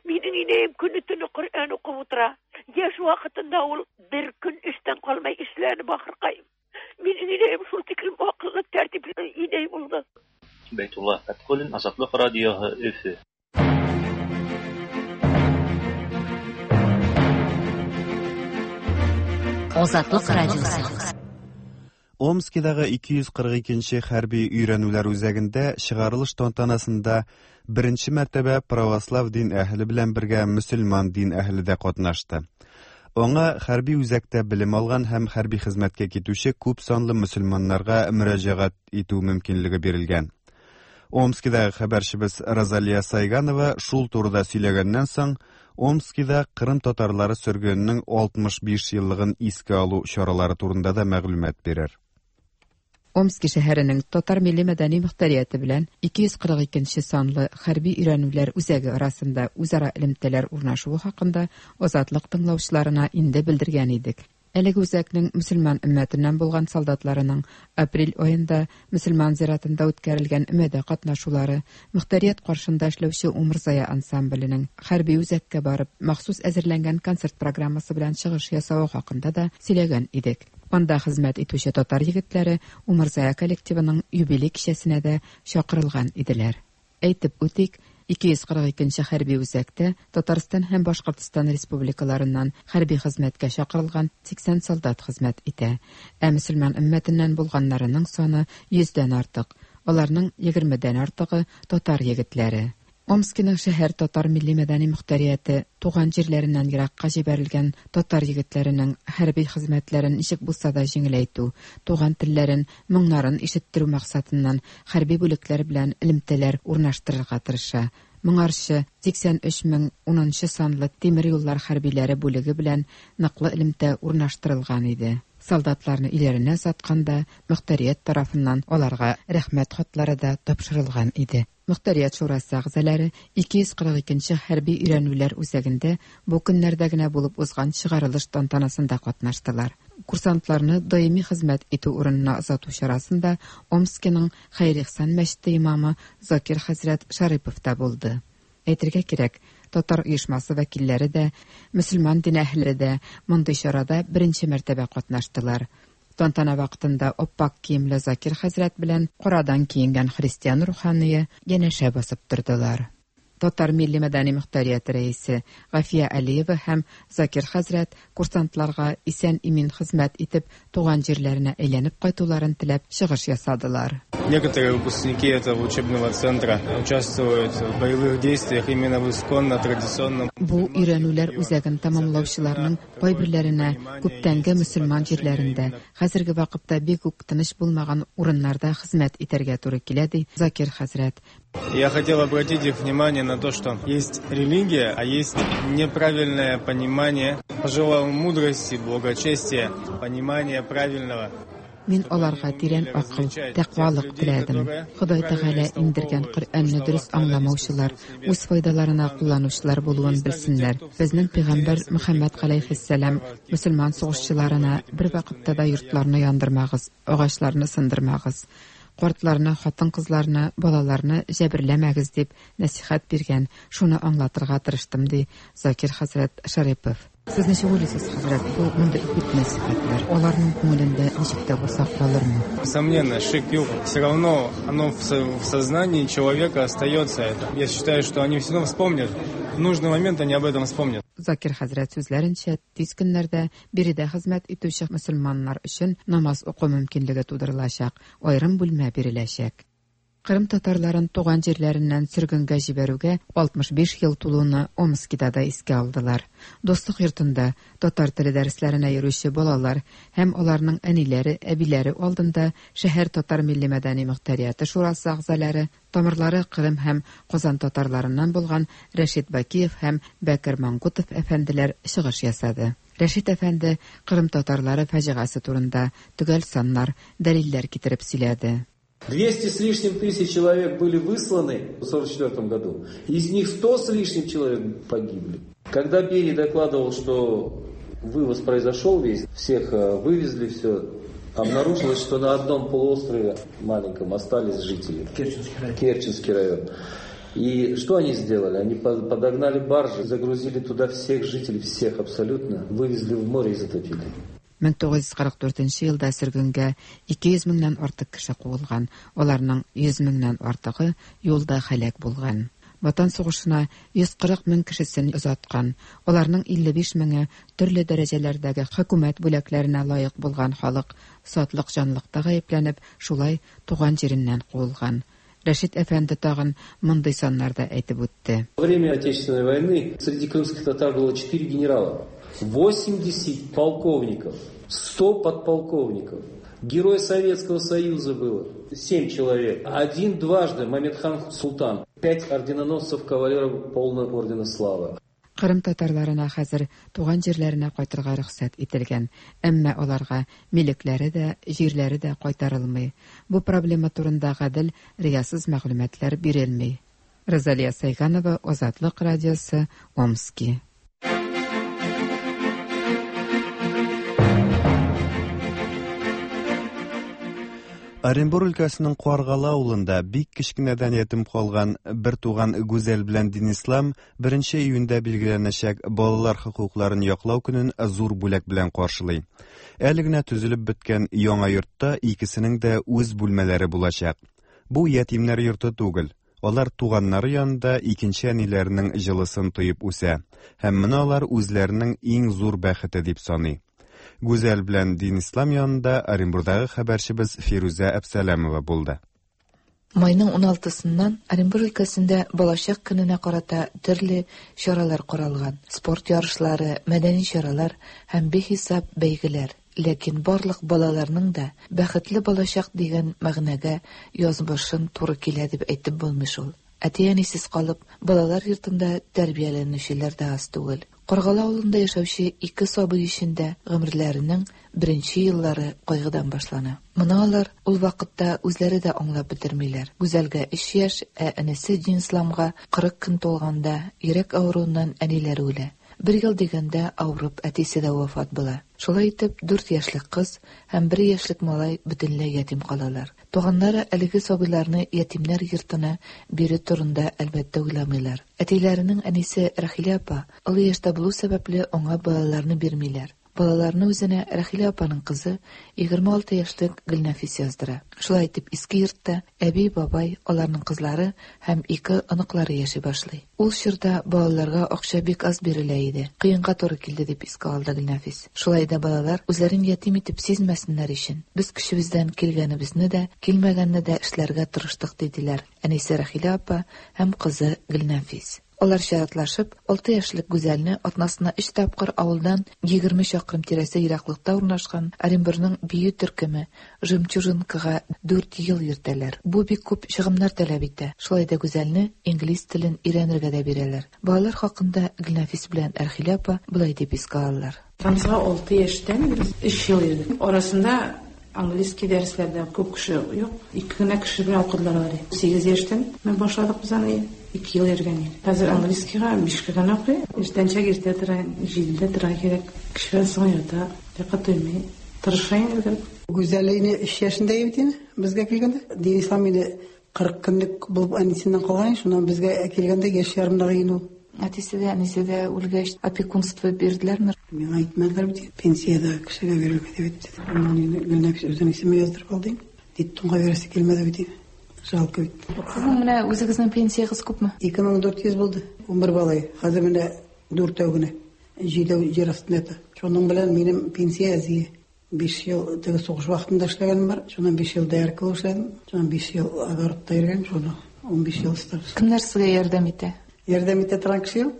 Минең инәйем көнө-төнө Ҡөрьән уҡып ултыра. Йәш ваҡытында ул бер көн эштән ҡалмай эшләне бахырҡайым. Минең инәйем шул тиклем аҡыллы, тәртипле инәй булды. Бәйтулла Фәтхуллин, Азатлыҡ радиоһы, Өфө. Азатлык радиосы. Омскидагы 242 хәрби өйрәнүләр үзәгендә чыгарылыш тантанасында беренче мәртәбә православ дин әһеле белән бергә мөселман дин әһеле дә катнашты. Аңа хәрби үзәктә белем алган һәм хәрби хезмәткә китүче күп санлы мөселманнарга мөрәҗәгать итү мөмкинлеге бирелгән. Омскидагы хәбәрчебез Розалия Сайганова шул турыда сөйләгәннән соң, Омскида Кырым татарлары сөргененең 65 еллыгын искә алу чаралары турында да мәгълүмат бирер. Омски шәһәренең татар милли мәдәни мөхтәрияте белән 242 санлы хәрби өйрәнүләр үзәге арасында үзара элемтәләр урнашуы хакында Азатлык тыңлаучыларына инде белдергән идек. Әлеге үзәкнең мөселман өммәтеннән булган солдатларының апрель аенда мөселман зиратында үткәрелгән өмәдә катнашулары, мөхтәрият каршында эшләүче Умырзая ансамбленең хәрби үзәккә барып махсус әзерләнгән концерт программасы белән чыгыш ясавы хакында да сөйләгән идек. Анда хезмәт итүче татар егетләре Умырзая коллективының юбилей кичәсенә дә чакырылган иделәр. Әйтеп үтик, 242 нче хәрби үзәктә Татарстан һәм Башкортстан республикаларыннан хәрби хезмәткә чакырылган 80 солдат хезмәт итә. Ә мөселман өммәтеннән булганнарының саны йөздән артык. Аларның егермедән артыгы татар егетләре. Омскиның шәһәр татар милли-мәдәни мохтарияте туган җирләреннән еракка җибәрелгән татар егетләренең хәрби хезмәтләрен ничек булса да җиңеләйтү, туган телләрен, моңнарын ишеттерү максатыннан хәрби бүлекләр белән элемтәләр урнаштырырга тырыша. Моңарчы 83 мең унынчы санлы тимер юллар хәрбиләре бүлеге белән ныклы элемтә урнаштырылган иде. Солдатларны өйләренә озатканда, мохтарият тарафыннан аларга рәхмәт хатлары да тапшырылган иде. Мохтарият шурасы әгъзалары 242 нче хәрби өйрәнүләр үзәгендә бу көннәрдә генә булып узган чыгарылыш тантанасында катнаштылар. Курсантларны даими хезмәт итү урынына озату чарасында Омскиның Хәер-Ихсан мәчете имамы Закир хәзрәт Шарипов та булды. Әйтергә кирәк, татар оешмасы вәкилләре дә, мөселман дин әһелләре дә мондый чарада беренче мәртәбә катнаштылар. Тантана вакытында ап-ак киемле Закир хәзрәт белән карадан киенгән христиан руханые янәшә басып тордылар. Татар милли-мәдәни мохтарияте рәисе Гафия Алиева һәм Закир хәзрәт курсантларга исән-имин хезмәт итеп, туган җирләренә әйләнеп кайтуларын теләп чыгыш ясадылар. Некоторые выпускники этого учебного центра участвуют в боевых действиях именно в исконно традиционном. Бу өйрәнүләр үзәген тәмамлаучыларның кайберләренә күптәнге мөселман җирләрендә, хәзерге вакытта бик үк тыныч булмаган урыннарда хезмәт итәргә туры килә, ди Закир хәзрәт. Я хотел обратить их внимание на то, что есть религия, а есть неправильное понимание. Пожелал мудрости, благочестия, понимания правильного. Мин аларга тирән акыл, тәкъвалык теләдем. Ходай Тәгалә иңдергән Коръәнне дөрес аңламаучылар, үз файдаларына кулланучылар булуын белсеннәр. Безнең пәйгамбәр Мөхәммәд галәйһиссәлам мөселман сугышчыларына бервакытта да йортларны яндырмагыз, агачларны сындырмагыз, картларны, хатын-кызларны, балаларны җәберләмәгез дип нәсыйхәт биргән, шуны аңлатырга тырыштым, ди Закир хәзрәт Шәрипов. Сез ничек уйлыйсыз, хәзрәт, бу мондый үгет-нәсыйхәтләр аларның күңелендә ничек тә булса калырмы? Несомненно, шик юк. Все равно оно в сознании человека остается это. Я считаю, что они все равно вспомнят. В нужный момент они об этом вспомнят. Закир хәзрәт сүзләренчә, тиз көннәрдә биредә хезмәт итүче мөселманнар өчен намаз уку мөмкинлеге тудырылачак, аерым бүлмә биреләчәк. Кырым татарларын туган җирләреннән сөргенгә җибәрүгә 65 ел тулуны Омскида да искә алдылар. Дуслык йортында татар теле дәресләренә йөрүче балалар һәм аларның әниләре, әбиләре алдында шәһәр татар милли-мәдәни мохтарияте шурасы әгъзалары, тамырлары Кырым һәм Казан татарларыннан булган Рәшит Бакиев һәм Бәкер Мангутов әфәнделәр чыгыш ясады. Рәшит әфәнде Кырым татарлары фаҗигасе турында төгәл саннар, дәлилләр китереп сөйләде. 200 с лишним тысяч человек были высланы в 1944 году. Из них 100 с лишним человек погибли. Когда Берия докладывал, что вывоз произошел весь, всех э, вывезли, все, обнаружилось, что на одном полуострове маленьком остались жители. Керченский район. Керченский район. И что они сделали? Они подогнали баржи, загрузили туда всех жителей, всех абсолютно, вывезли в море и затопили. 1944 нче елда сөргенгә 200 меңнән артык кеше куылган, аларның 100 меңнән артыгы юлда һәлак булган. Ватан сугышына 140 мең кешесен озаткан, аларның 55 меңе төрле дәрәҗәләрдәге хөкүмәт бүләкләренә лаек булган халык сатлык җанлыкта гаепләнеп, шулай туган җиреннән куылган. Рәшит әфәнде тагын мондый саннар да әйтеп үтте. Во время Отечественной войны среди крымских татар было 4 генерала, 80 полковников, 100 подполковников. Герой Советского Союза было 7 человек. Один дважды Мамедхан Султан. 5 орденоносцев кавалеров полного ордена славы. Кырым татарларына хәзер туган җирләренә кайтырга рөхсәт ителгән, әмма аларга милекләре дә, җирләре дә кайтарылмый. Бу проблема турында гадел, риясыз мәгълүматлар бирелми. Розалия Сайганова, Азатлык радиосы, Омски. Оренбур өлкәсенең Каргалы авылында бик кечкенәдән ятим калган бертуган Гүзәл белән Динислам беренче июньдә билгеләнәчәк Балалар хокукларын яклау көнен зур бүләк белән каршылый. Әле генә төзелеп беткән яңа йортта икесенең дә үз бүлмәләре булачак. Бу ятимнәр йорты түгел. Алар туганнары янында икенче әниләренең җылысын тоеп үсә һәм моны алар үзләренең иң зур бәхете дип саный. Гүзәл белән Динислам янында Оренбурдагы хәбәрчебез Фирүзә Әпсәләмова булды. Майның уналтысыннан Оренбур өлкәсендә Балачак көненә карата төрле чаралар каралган, спорт ярышлары, мәдәни чаралар һәм бихисап бәйгеләр. Ләкин барлык балаларның да бәхетле балачак дигән мәгънәгә язмышын туры килә дип әйтеп булмый шул. Әти-әнисез калып, балалар йортында тәрбияләнүчеләр дә аз түгел. Каргалы авылында яшәүче ике сабый өчен дә гомерләренең беренче еллары кайгыдан башлана. Моны алар ул вакытта үзләре дә аңлап бетермиләр. Гүзәлгә өч яшь, ә энесе Динисламга 40 көн тулганда, йөрәк авыруыннан әниләре үлә. Бер ел дигәндә, авырып әтисе дә вафат була. Шулай итеп, дүрт яшьлек кыз һәм бер яшьлек малай бөтенләй ятим калалар. Туганнары әлеге сабыйларны ятимнәр йортына бирү турында, әлбәттә, уйламыйлар. Әтиләренең әнисе Рәхилә апа олы яшьтә булу сәбәпле, аңа балаларны бирмиләр. Балаларны үзенә Рәхилә апаның кызы, 26 яшьлек Гөлнәфис яздыра. Шулай итеп, иске йортта әби, бабай, аларның кызлары һәм ике оныклары яши башлый. Ул чорда балаларга акча бик аз бирелә иде. Кыенга туры килде, дип искә алды Гөлнәфис. Шулай да балалар үзләрен ятим итеп сизмәсеннәр өчен, без көчебездән килгәнебезне дә, килмәгәнне дә эшләргә тырыштык, диделәр әнисе Рәхилә апа һәм кызы Гөлнәфис. Алар чиратлашып, алты яшьлек Гүзәлне атнасына өч тапкыр авылдан 20 чакрым тирәсе ераклыкта урнашкан Оренбурның бию төркеме Жемчужинкага дүрт ел йөртәләр. Бу бик күп чыгымнар таләп итә. Шулай да Гүзәлне инглиз телен өйрәнергә дә бирәләр. Балалар хакында Гөлнәфис белән Әрхилә апа болай дип искә алалар. Рамзга алты яшьтән без өч ел йөрдек. Арасында английский дәресләрдә күп кеше юк. Ике генә кеше белән укыдылар алар. Сигез яшьтән менә башладык без аны. Ике ел йөргән идек. Хәзер английскийга бишкә генә укый. Иртәнчәк иртә тора, җидедә тора кирәк. Кичкә соң ята, йокы туймый. Тырыша инде. Гүзәл инде өч яшендә бит инде безгә килгәндә. Динислам инде 40 көнлек булып әнисеннән калган, шуннан безгә килгәндә яшь ярымдагы инде ул. Әтисе дә, әнисе дә үлгәч, опекунство бирделәрме? Миңа әйтмәделәр бит, пенсиядә кешегә бирергә дип әйтте. Аннан инде Гөлнәфис үзенең исеме яздырып алды инде. Детдомга бирәсе килмәде бит инде. Жалко бит. Сезнең менә үзегезнең пенсиягез күпме? 2400 булды. 11 бала. Хәзер менә дүртәү генә. Җидәү җир астында ята. Шуның белән минем пенсия әзие. 5 ел теге сугыш вакытында эшләгәнем бар. Шуннан 5 ел доярка булып эшләдем. Шуннан 5 ел огородта йөргән, шуны 15 ел стаж. Кемнәр сезгә ярдәм итә? Ярдәм итә торган кеше юк.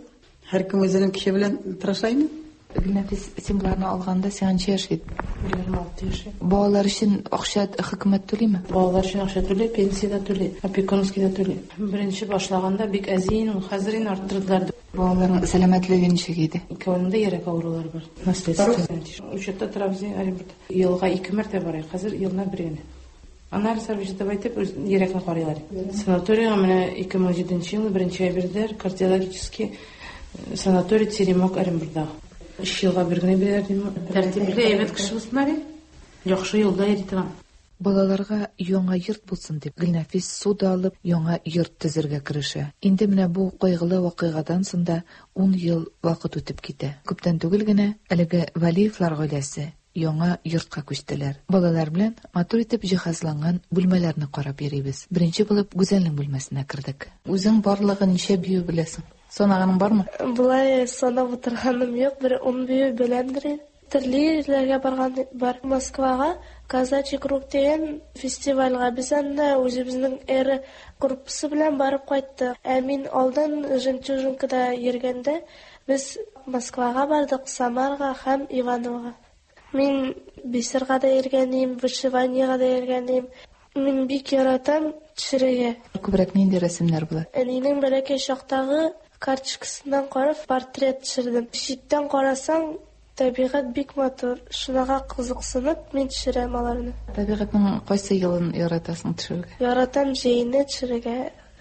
Һәркем үзенең көче белән тырыша инде. Гөлнәфис, син боларны алганда сиңа ничә яшь иде? 26 яшь. Балалар өчен акча хөкүмәт түлиме? Балалар өчен акча түли, пенсия дә түли, опекунский да түли. Беренче башлаганда бик әз иде, хәзер инде арттырдылар. Балаларның сәламәтлеге ничек иде? Икәүнең дә йөрәк авырулары бар. Наследственный. Учетта торабыз Оренбургта. Елга ике мәртәбә барыйк, хәзер елына бер генә. Анализлар биреп әйтеп, үз йөрәкне карыйлар. Санаторийга менә 2007 елны беренче ай бирделәр, кардиологический санаторий Теремок Оренбургта. Өч елга бер генә бирәләр дим. Тәртипле, әйбәт кеше булсыннар. Яхшы юлда йөри торган. Балаларга яңа йорт булсын дип, Гөлнәфис ссуда алып, яңа йорт төзергә керешә. Инде менә бу кайгылы вакыйгадан соң да ун ел вакыт үтеп китә. Күптән түгел генә әлеге Вәлиевлар гаиләсе яңа йортка күчтеләр. Балалар белән матур итеп җиһазланган бүлмәләрне карап йөрибез. Беренче булып Гүзәлнең бүлмәсенә кердек. Үзең барлыгы ничә бию беләсең? Санаганың бармы? Болай санап утырганым юк, бер ун бию беләмдер инде. Төрле җирләргә барган бар. Москвага Казачий круг дигән фестивальгә без анда үзебезнең Эра группасы белән барып кайттык. Ә мин алдан Жемчужинкада йөргәндә без Москвага бардык, Самарага һәм Ивановога. Мин бисерга да йөргән идем, вышиваниега да йөргән идем. Мин бик яратам төшерергә. Күбрәк нинди рәсемнәр була? Әнинең бәләкәй чактагы карточкасыннан карап портрет төшердем. Читтән карасаң, табигать бик матур. Шунага кызыксынып, мин төшерәм аларны. Табигатьнең кайсы елын яратасың төшерергә? Яратам җәйне төшерергә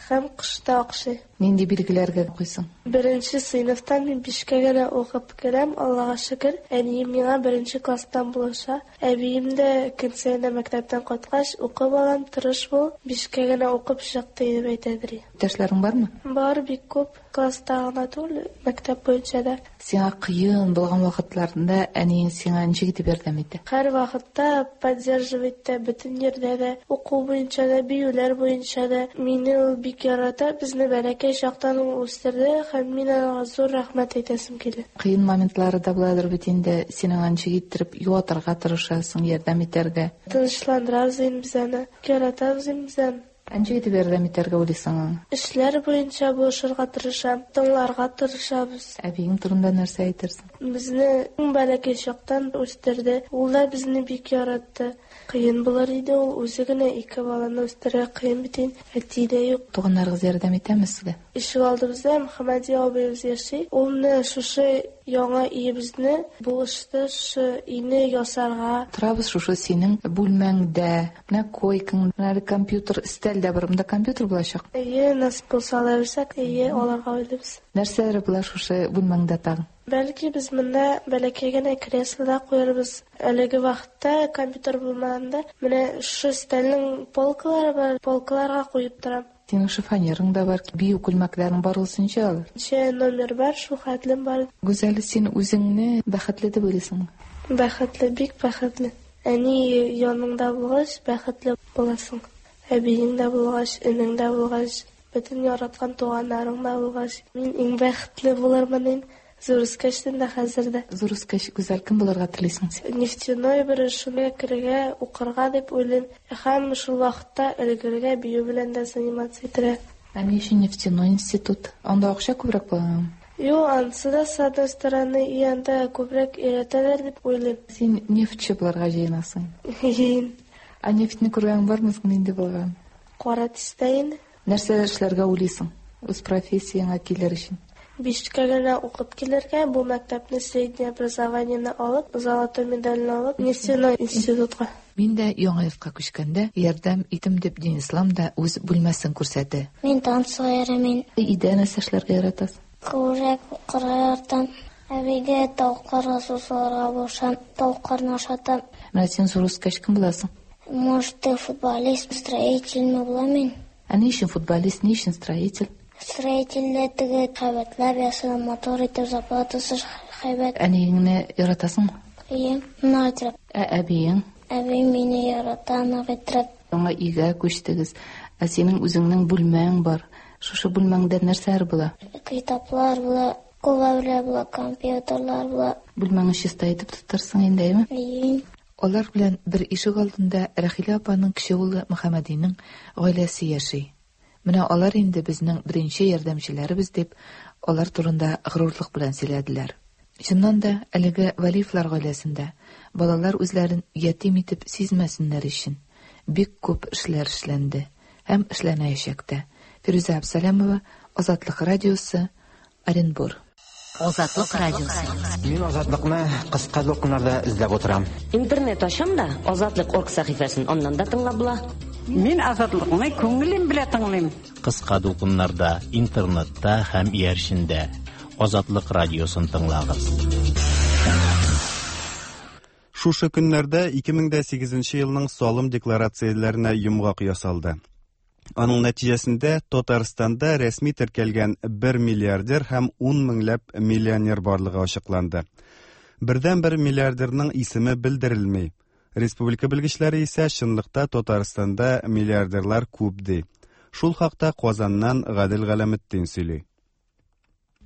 һәм кышта охшый. Нинди билгеләргә укыйсың? Беренче сыйныфтан мин бишкә генә укып керәм, Аллага шөкер. Әнием миңа беренче класстан булыша. Әбием дә көн саен мәктәптән кайткач, укы балам, тырыш бул, бишкә генә укып чык, дип әйтәдер. Иптәшләрең бармы? Бар, бик күп. Класста гына түгел, мәктәп буенча да. Сиңа кыен булган вакытларында әниең сиңа ничек итеп ярдәм итә? Һәр вакытта поддерживать итә, бөтен җирдә дә, уку буенча да, биюләр буенча да. Мине ул бик ярата, безне бәләкәй чактан ул үстерде һәм мин аңа зур рәхмәт әйтәсем килә. Кыен моментлары да буладыр бит инде, син аңа ничек иттереп юатырга тырышасың, ярдәм итәргә? Тынычландырабыз инде без аны, яратабыз инде без аны. Ә ничек итеп ярдәм итәргә уйлыйсың аңа? Эшләр буенча булышырга тырышам, тыңларга тырышабыз. Әбиең турында нәрсә әйтерсең? Безне иң бәләкәй чактан үстерде. Ул да безне бик яратты. Кыен булыр иде ул үзе генә ике баланы үстерергә кыен бит инде. Әти дә юк. Туганнарыгыз ярдәм итәме сезгә? Ишек алдыбызда Мөхәммәди абыебыз яши. Ул менә шушы яңа өебезне булышты, шушы өйне ясарга. Торабыз шушы синең бүлмәңдә. Менә койкаң, менә әле компьютер, өстәл дә бар. Монда компьютер булачак. Әйе, насыйп булса ала бирсәк, әйе, алырга уйлыйбыз. Нәрсәләр була шушы бүлмәңдә тагын? Бәлки без монда бәләкәй генә кресло да куярбыз. Әлеге вакытта компьютер булмаганда, менә шушы өстәлнең полкалары бар, полкаларга куеп торам. Синең шифоньерың да бар, бию күлмәкләрең бар ул ничә алар? Ничә номер бар, шул хәтлем бар. Гүзәл, син үзеңне бәхетле дип уйлыйсыңмы? Бәхетле, бик бәхетле. Әни яныңда булгач, бәхетле буласың. Әбиең дә булгач, энең дә булгач, бөтен яраткан туганнарың да булгач, мин иң бәхетле булырмын инде. Зур үскәчтен дә хәзер дә. Зур үскәч, Гүзәл, кем булырга телисең син? Нефтяной бер шуны керергә, укырга дип уйлыйм. Һәм шул вакытта өлгерергә, бию белән дә заниматься итәргә. Ә ни өчен нефтяной институт? Анда акча күбрәк буламы? Юк, анысы да, с одной стороны, и анда күбрәк өйрәтәләр дип уйлыйм. Син нефтьче булырга җыенасың. Җыен. Ә нефтьне күргәнең бармы соң, нинди булган? Кара төстә инде. Нәрсә эшләргә уйлыйсың үз профессияңә килер өчен? Бишкә генә укып килергә, бу мәктәпне среднее образованиене алып, золотой медальне алып, нефтяной институтка. Мин дә яңа йортка күчкәндә ярдәм итем дип Динислам да үз бүлмәсен күрсәтте. Мин танцыга йөрим. Өйдә нәрсә эшләргә яратасың? Күбрәк укырга яратам. Әбигә тавыкларга су салырга булышам, тавыкларны ашатам. Менә син зур үскәч кем буласың? Может, футболист, строительме булам мин. Ә ни өчен футболист, ни өчен строитель? Строительләр теге һәйбәтләп ясый, матур итеп, зарплатасы һәйбәт. Әниеңне яратасыңмы? Әйе, нык итеп. Ә әбиең? Әби мине ярата нык итеп. Яңа өйгә күчтегез. Ә синең үзеңнең бүлмәң бар. Шушы бүлмәңдә нәрсәләр була? Китаплар була, күп әйберләр була, компьютерлар була. Бүлмәңне чиста итеп тотарсың инде, әйеме? Әйе. Алар белән бер ишек алдында Рәхилә апаның кече улы Мөхәммәдинең гаиләсе яши. Менә алар инде безнең беренче ярдәмчеләребез дип, алар турында горурлык белән сөйләделәр. Чыннан да, әлеге Вәлиевлар гаиләсендә балалар үзләрен ятим итеп сизмәсеннәр өчен бик күп эшләр эшләнде һәм эшләнәячәк тә. Фирүзә Абсалямова, Азатлык радиосы, Оренбур. Азатлык радиосы. Мин Азатлыкны кыска дулкыннарда эзләп утырам. Интернет ачам да, Азатлык орг сәхифәсен аннан да тыңлап була. Мин Азатлыкны күңелем белән тыңлыйм. Кыска дулкыннарда, интернетта һәм иярчендә. Азатлык радиосын тыңлагыз. Шушы көннәрдә 2008 елның салым декларацияләренә йомгак ясалды. Аның нәтиҗәсендә Татарстанда рәсми теркәлгән 1 миллиардер һәм 10 меңләп миллионер барлыгы ачыкланды. Бердән-бер миллиардерның исеме белдерелми. Республика белгечләре исә чынлыкта Татарстанда миллиардерлар күп ди. Шул хакта Казаннан Гадел Галәметдин сөйли.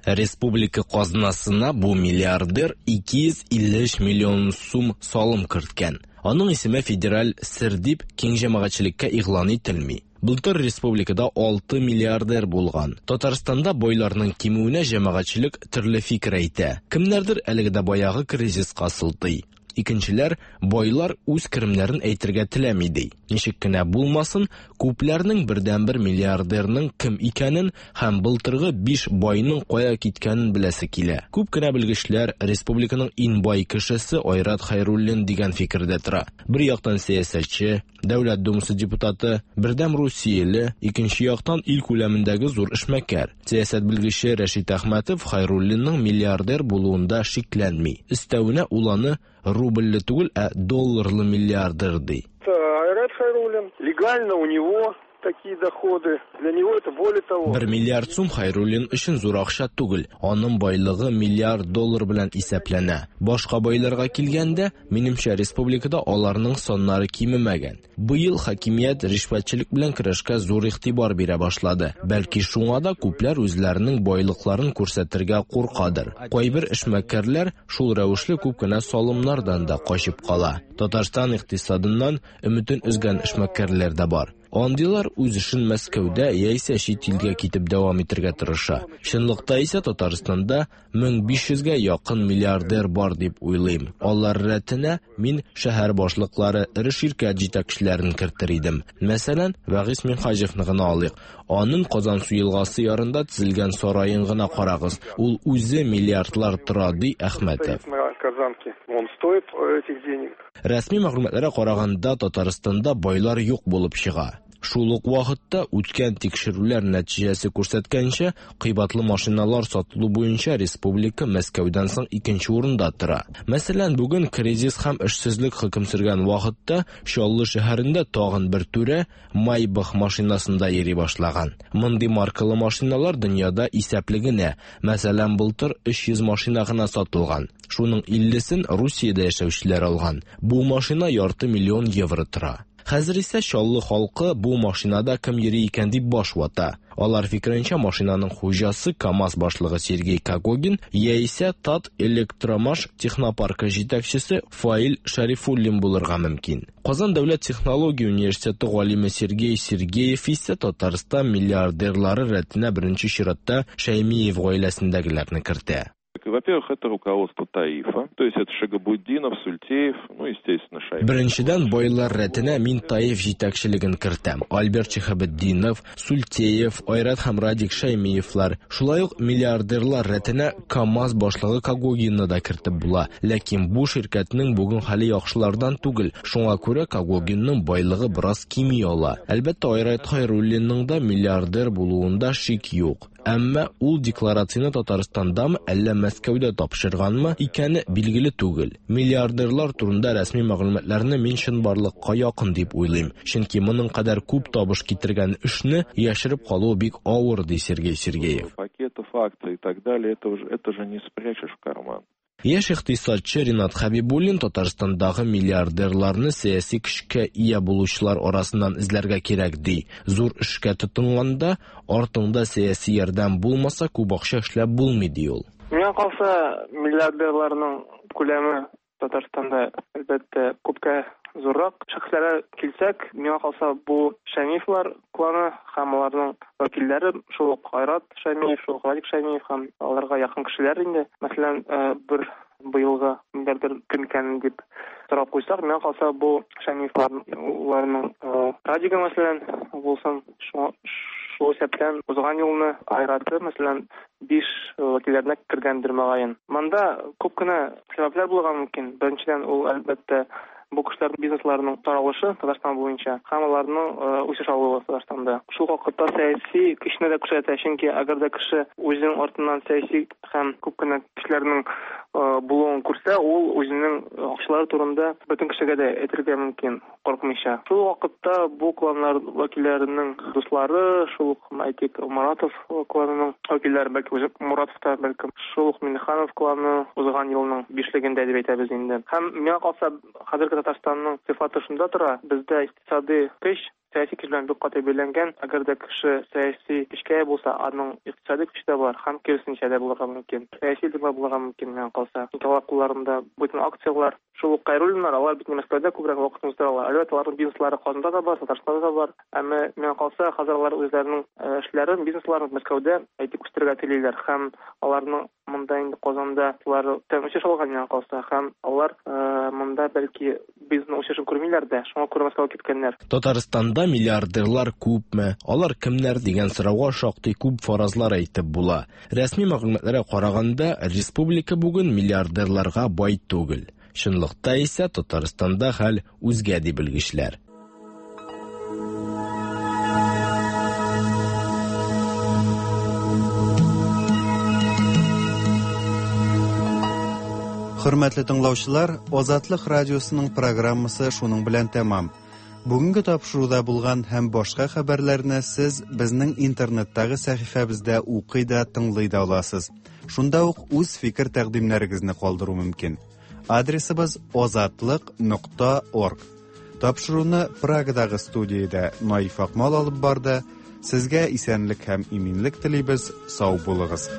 Республика казнасына бу миллиардер 253 миллион сум салым керткән. Аның исеме федераль сер дип киң җәмәгатьчелеккә игълан ителми. Былтыр республикада 6 миллиардер булган. Татарстанда байларның кимүенә җәмәгатьчелек төрле фикер әйтә. Кемнәрдер әлеге дә баягы кризиска сылтый. Икенчеләр, байлар үз керемнәрен әйтергә теләми, ди. Ничек кенә булмасын, күпләрнең бердәнбер миллиардерның кем икәнен һәм былтыргы биш байның кая киткәнен беләсе килә. Күп кенә белгечләр республиканың иң бай кешесе Айрат Хәйруллин дигән фикердә тора. Бер яктан сәясәтче, Дәүләт Думасы депутаты, Бердәм Русияле, икенче яктан ил күләмендәге зур эшмәкәр. Сәясәт белгече Рәшит Әхмәтов Хәйруллинның миллиардер булуында шикләнми. Өстәвенә ул аны рубльле түгел, ә долларлы миллиардер ди. Айрат Хайруллин, легально у него такие доходы. Для него это более того. Бер миллиард сум Хайруллин өчен зур акча түгел. Аның байлыгы миллиард доллар белән исәпләнә. Башка байларга килгәндә, минемчә, республикада аларның саннары кимемәгән. Быел хакимият ришвәтчелек белән көрәшкә зур игътибар бирә башлады. Бәлки шуңа да күпләр үзләренең байлыкларын күрсәтергә куркадыр. Кайбер эшмәкәрләр шул рәвешле күп кенә салымнардан да качып кала. Татарстан икътисадыннан өметен өзгән эшмәкәрләр дә бар. Андыйлар үз эшен Мәскәүдә яисә чит илгә китеп дәвам итергә тырыша. Чынлыкта исә Татарстанда 1500гә якын миллиардер бар дип уйлыйм. Алар рәтенә мин шәһәр башлыклары, эре ширкәт җитәкчеләрен кертер идем. Мәсәлән, Вәгыйз Минһаҗевны гына алыйк. Аның Казансу елгасы ярында төзелгән сараен гына карагыз. Ул үзе миллиардлар тора, ди Әхмәтов. Казанки. Он стоит этих денег. Рәсми мәгълүматларга караганда, Татарстанда байлар юк булып чыга. Шул ук вакытта үткән тикшерүләр нәтиҗәсе күрсәткәнчә, кыйбатлы машиналар сатылу буенча республика Мәскәүдән соң икенче урында тора. Мәсәлән, бүген кризис һәм эшсезлек хөкем сөргән вакытта Чаллы шәһәрендә тагын бер түрә Майбах машинасында йөри башлаган. Мондый маркалы машиналар дөньяда исәпле генә. Мәсәлән, былтыр 300 машина гына сатылган. Шуның 50-сен Русиядә яшәүчеләр алган. Бу машина ярты миллион евро тора. Хәзер исә Чаллы халкы бу машинада кем йөри икән дип баш вата. Алар фикеренчә, машинаның хуҗасы КАМАЗ башлыгы Сергей Когогин яисә Тат Электромаш технопаркы җитәкчесе Фаил Шәрифуллин булырга мөмкин. Казан дәүләт технология университеты галиме Сергей Сергеев исә Татарстан миллиардерлары рәтенә беренче чиратта Шәймиев гаиләсендәгеләрне кертә. Во-первых, это руководство ТАИФа, то есть это Шагабутдинов, Сультеев, ну, естественно, Шаймиев. Беренчедән, байлар рәтенә мин ТАИФ җитәкчелеген кертәм. Альберт Шиһабетдинов, Сультеев, Айрат һәм Радик Шәймиевлар. Шулай ук миллиардерлар рәтенә КАМАЗ башлыгы Когогинны да кертеп була. Ләкин бу ширкәтнең бүген хәле яхшылардан түгел. Шуңа күрә Когогинның байлыгы бераз кими ала. Әлбәттә, Айрат Хәйруллинның да миллиардер булуында шик юк. Әмма ул декларацияне Татарстандамы, әллә Мәскәүдә тапшырганмы икәне билгеле түгел. Миллиардерлар турында рәсми мәгълүматларны мин чынбарлыкка якын дип уйлыйм. Чөнки моның кадәр күп табыш китергән эшне яшереп калуы бик авыр, ди Сергей Сергеев. Пакетов акций и так далее, это же не спрячешь в карман. Яшь икътисадчы Ринат Хәбибуллин Татарстандагы миллиардерларны сәяси көчкә ия булучылар арасыннан эзләргә кирәк ди. Зур эшкә тотынганда, артыңда сәяси ярдәм булмаса, күп акча эшләп булмый ди ул. Миңа калса, миллиардерларның күләме Татарстанда, әлбәттә, күпкә зуррак. Шәхесләргә килсәк, миңа калса, бу Шәймиевлар кланы һәм аларның вәкилләре, шул ук Айрат Шәймиев, шул ук Радик Шәймиев һәм аларга якын кешеләр инде. Мәсәлән, бер быелгы миллиардер кем икәнен дип сорап куйсак, миңа калса, бу Шәймиевларның Радигы, мәсәлән, булсын, шул исәптән узган елны Айраты, мәсәлән, 5 вәкилләренә кергәндер мөгаен. Монда күп кенә сәбәпләр булырга мөмкин. Беренчедән, ул әлбәттә бу кешеләрнең бизнесларының таралышы Татарстан буенча һәм аларның үсеш алуы Татарстанда. Шул вакытта сәяси көчне дә күрсәтә, чөнки әгәр дә кеше үзенең артыннан сәяси һәм күп кенә кешеләрнең булуын күрсә, ул үзенең акчалары турында бөтен кешегә дә әйтергә мөмкин, куркмыйча. Шул вакытта бу кланнар вәкилләренең дуслары, шул ук, әйтик, Муратов кланының вәкилләре, бәлки үзе Муратов та, бәлкем, шул ук Миңнеханов кланы узган елның бишлегендә дип әйтәбез инде. Һәм миңа калса, хәзерге Татарстанның сыйфаты шунда тора, бездә икътисади көч сәяси көч белән бик каты бәйләнгән. Әгәр дә кеше сәяси көчкә ия булса, аның икътисади көче дә бар, һәм киресенчә дә булырга мөмкин. Сәяси лидерлар булырга мөмкин, миңа калса. Чөнки алар кулларында бөтен акцияләр. Шул ук Кайруллиннар, алар бит Мәскәүдә күбрәк вакытын уздыралар. Әлбәттә, аларның бизнеслары Казанда да бар, Татарстанда да бар. Әмма миңа калса, хәзер алар үзләренең эшләрен, бизнесларын Мәскәүдә әйтик үстерергә телиләр һәм аларның Монда инде Казанда алар тән үсеш алган миңа калса, һәм алар монда бәлки бизнесның үсешен күрмиләр дә, шуңа күрә Мәскәүгә киткәннәр. Татарстанда миллиардерлар күпме, алар кемнәр дигән сорауга шактый күп фаразлар әйтеп була. Рәсми мәгълүматларга караганда, республика бүген миллиардерларга бай түгел. Чынлыкта исә Татарстанда хәл үзгә ди белгечләр. Хөрмәтле тыңлаучылар, Азатлык радиосының программасы шуның белән тәмам. Бүгенге тапшыруда булган һәм башка хәбәрләрне сез безнең интернеттагы сәхифәбездә укый да, тыңлый да аласыз. Шунда ук үз фикер-тәкъдимнәрегезне калдыру мөмкин. Адресыбыз озатлык.орг. Тапшыруны Прагадагы студиядә Наиф Акмал алып барды. Сезгә исәнлек һәм иминлек телибез. Сау булыгыз.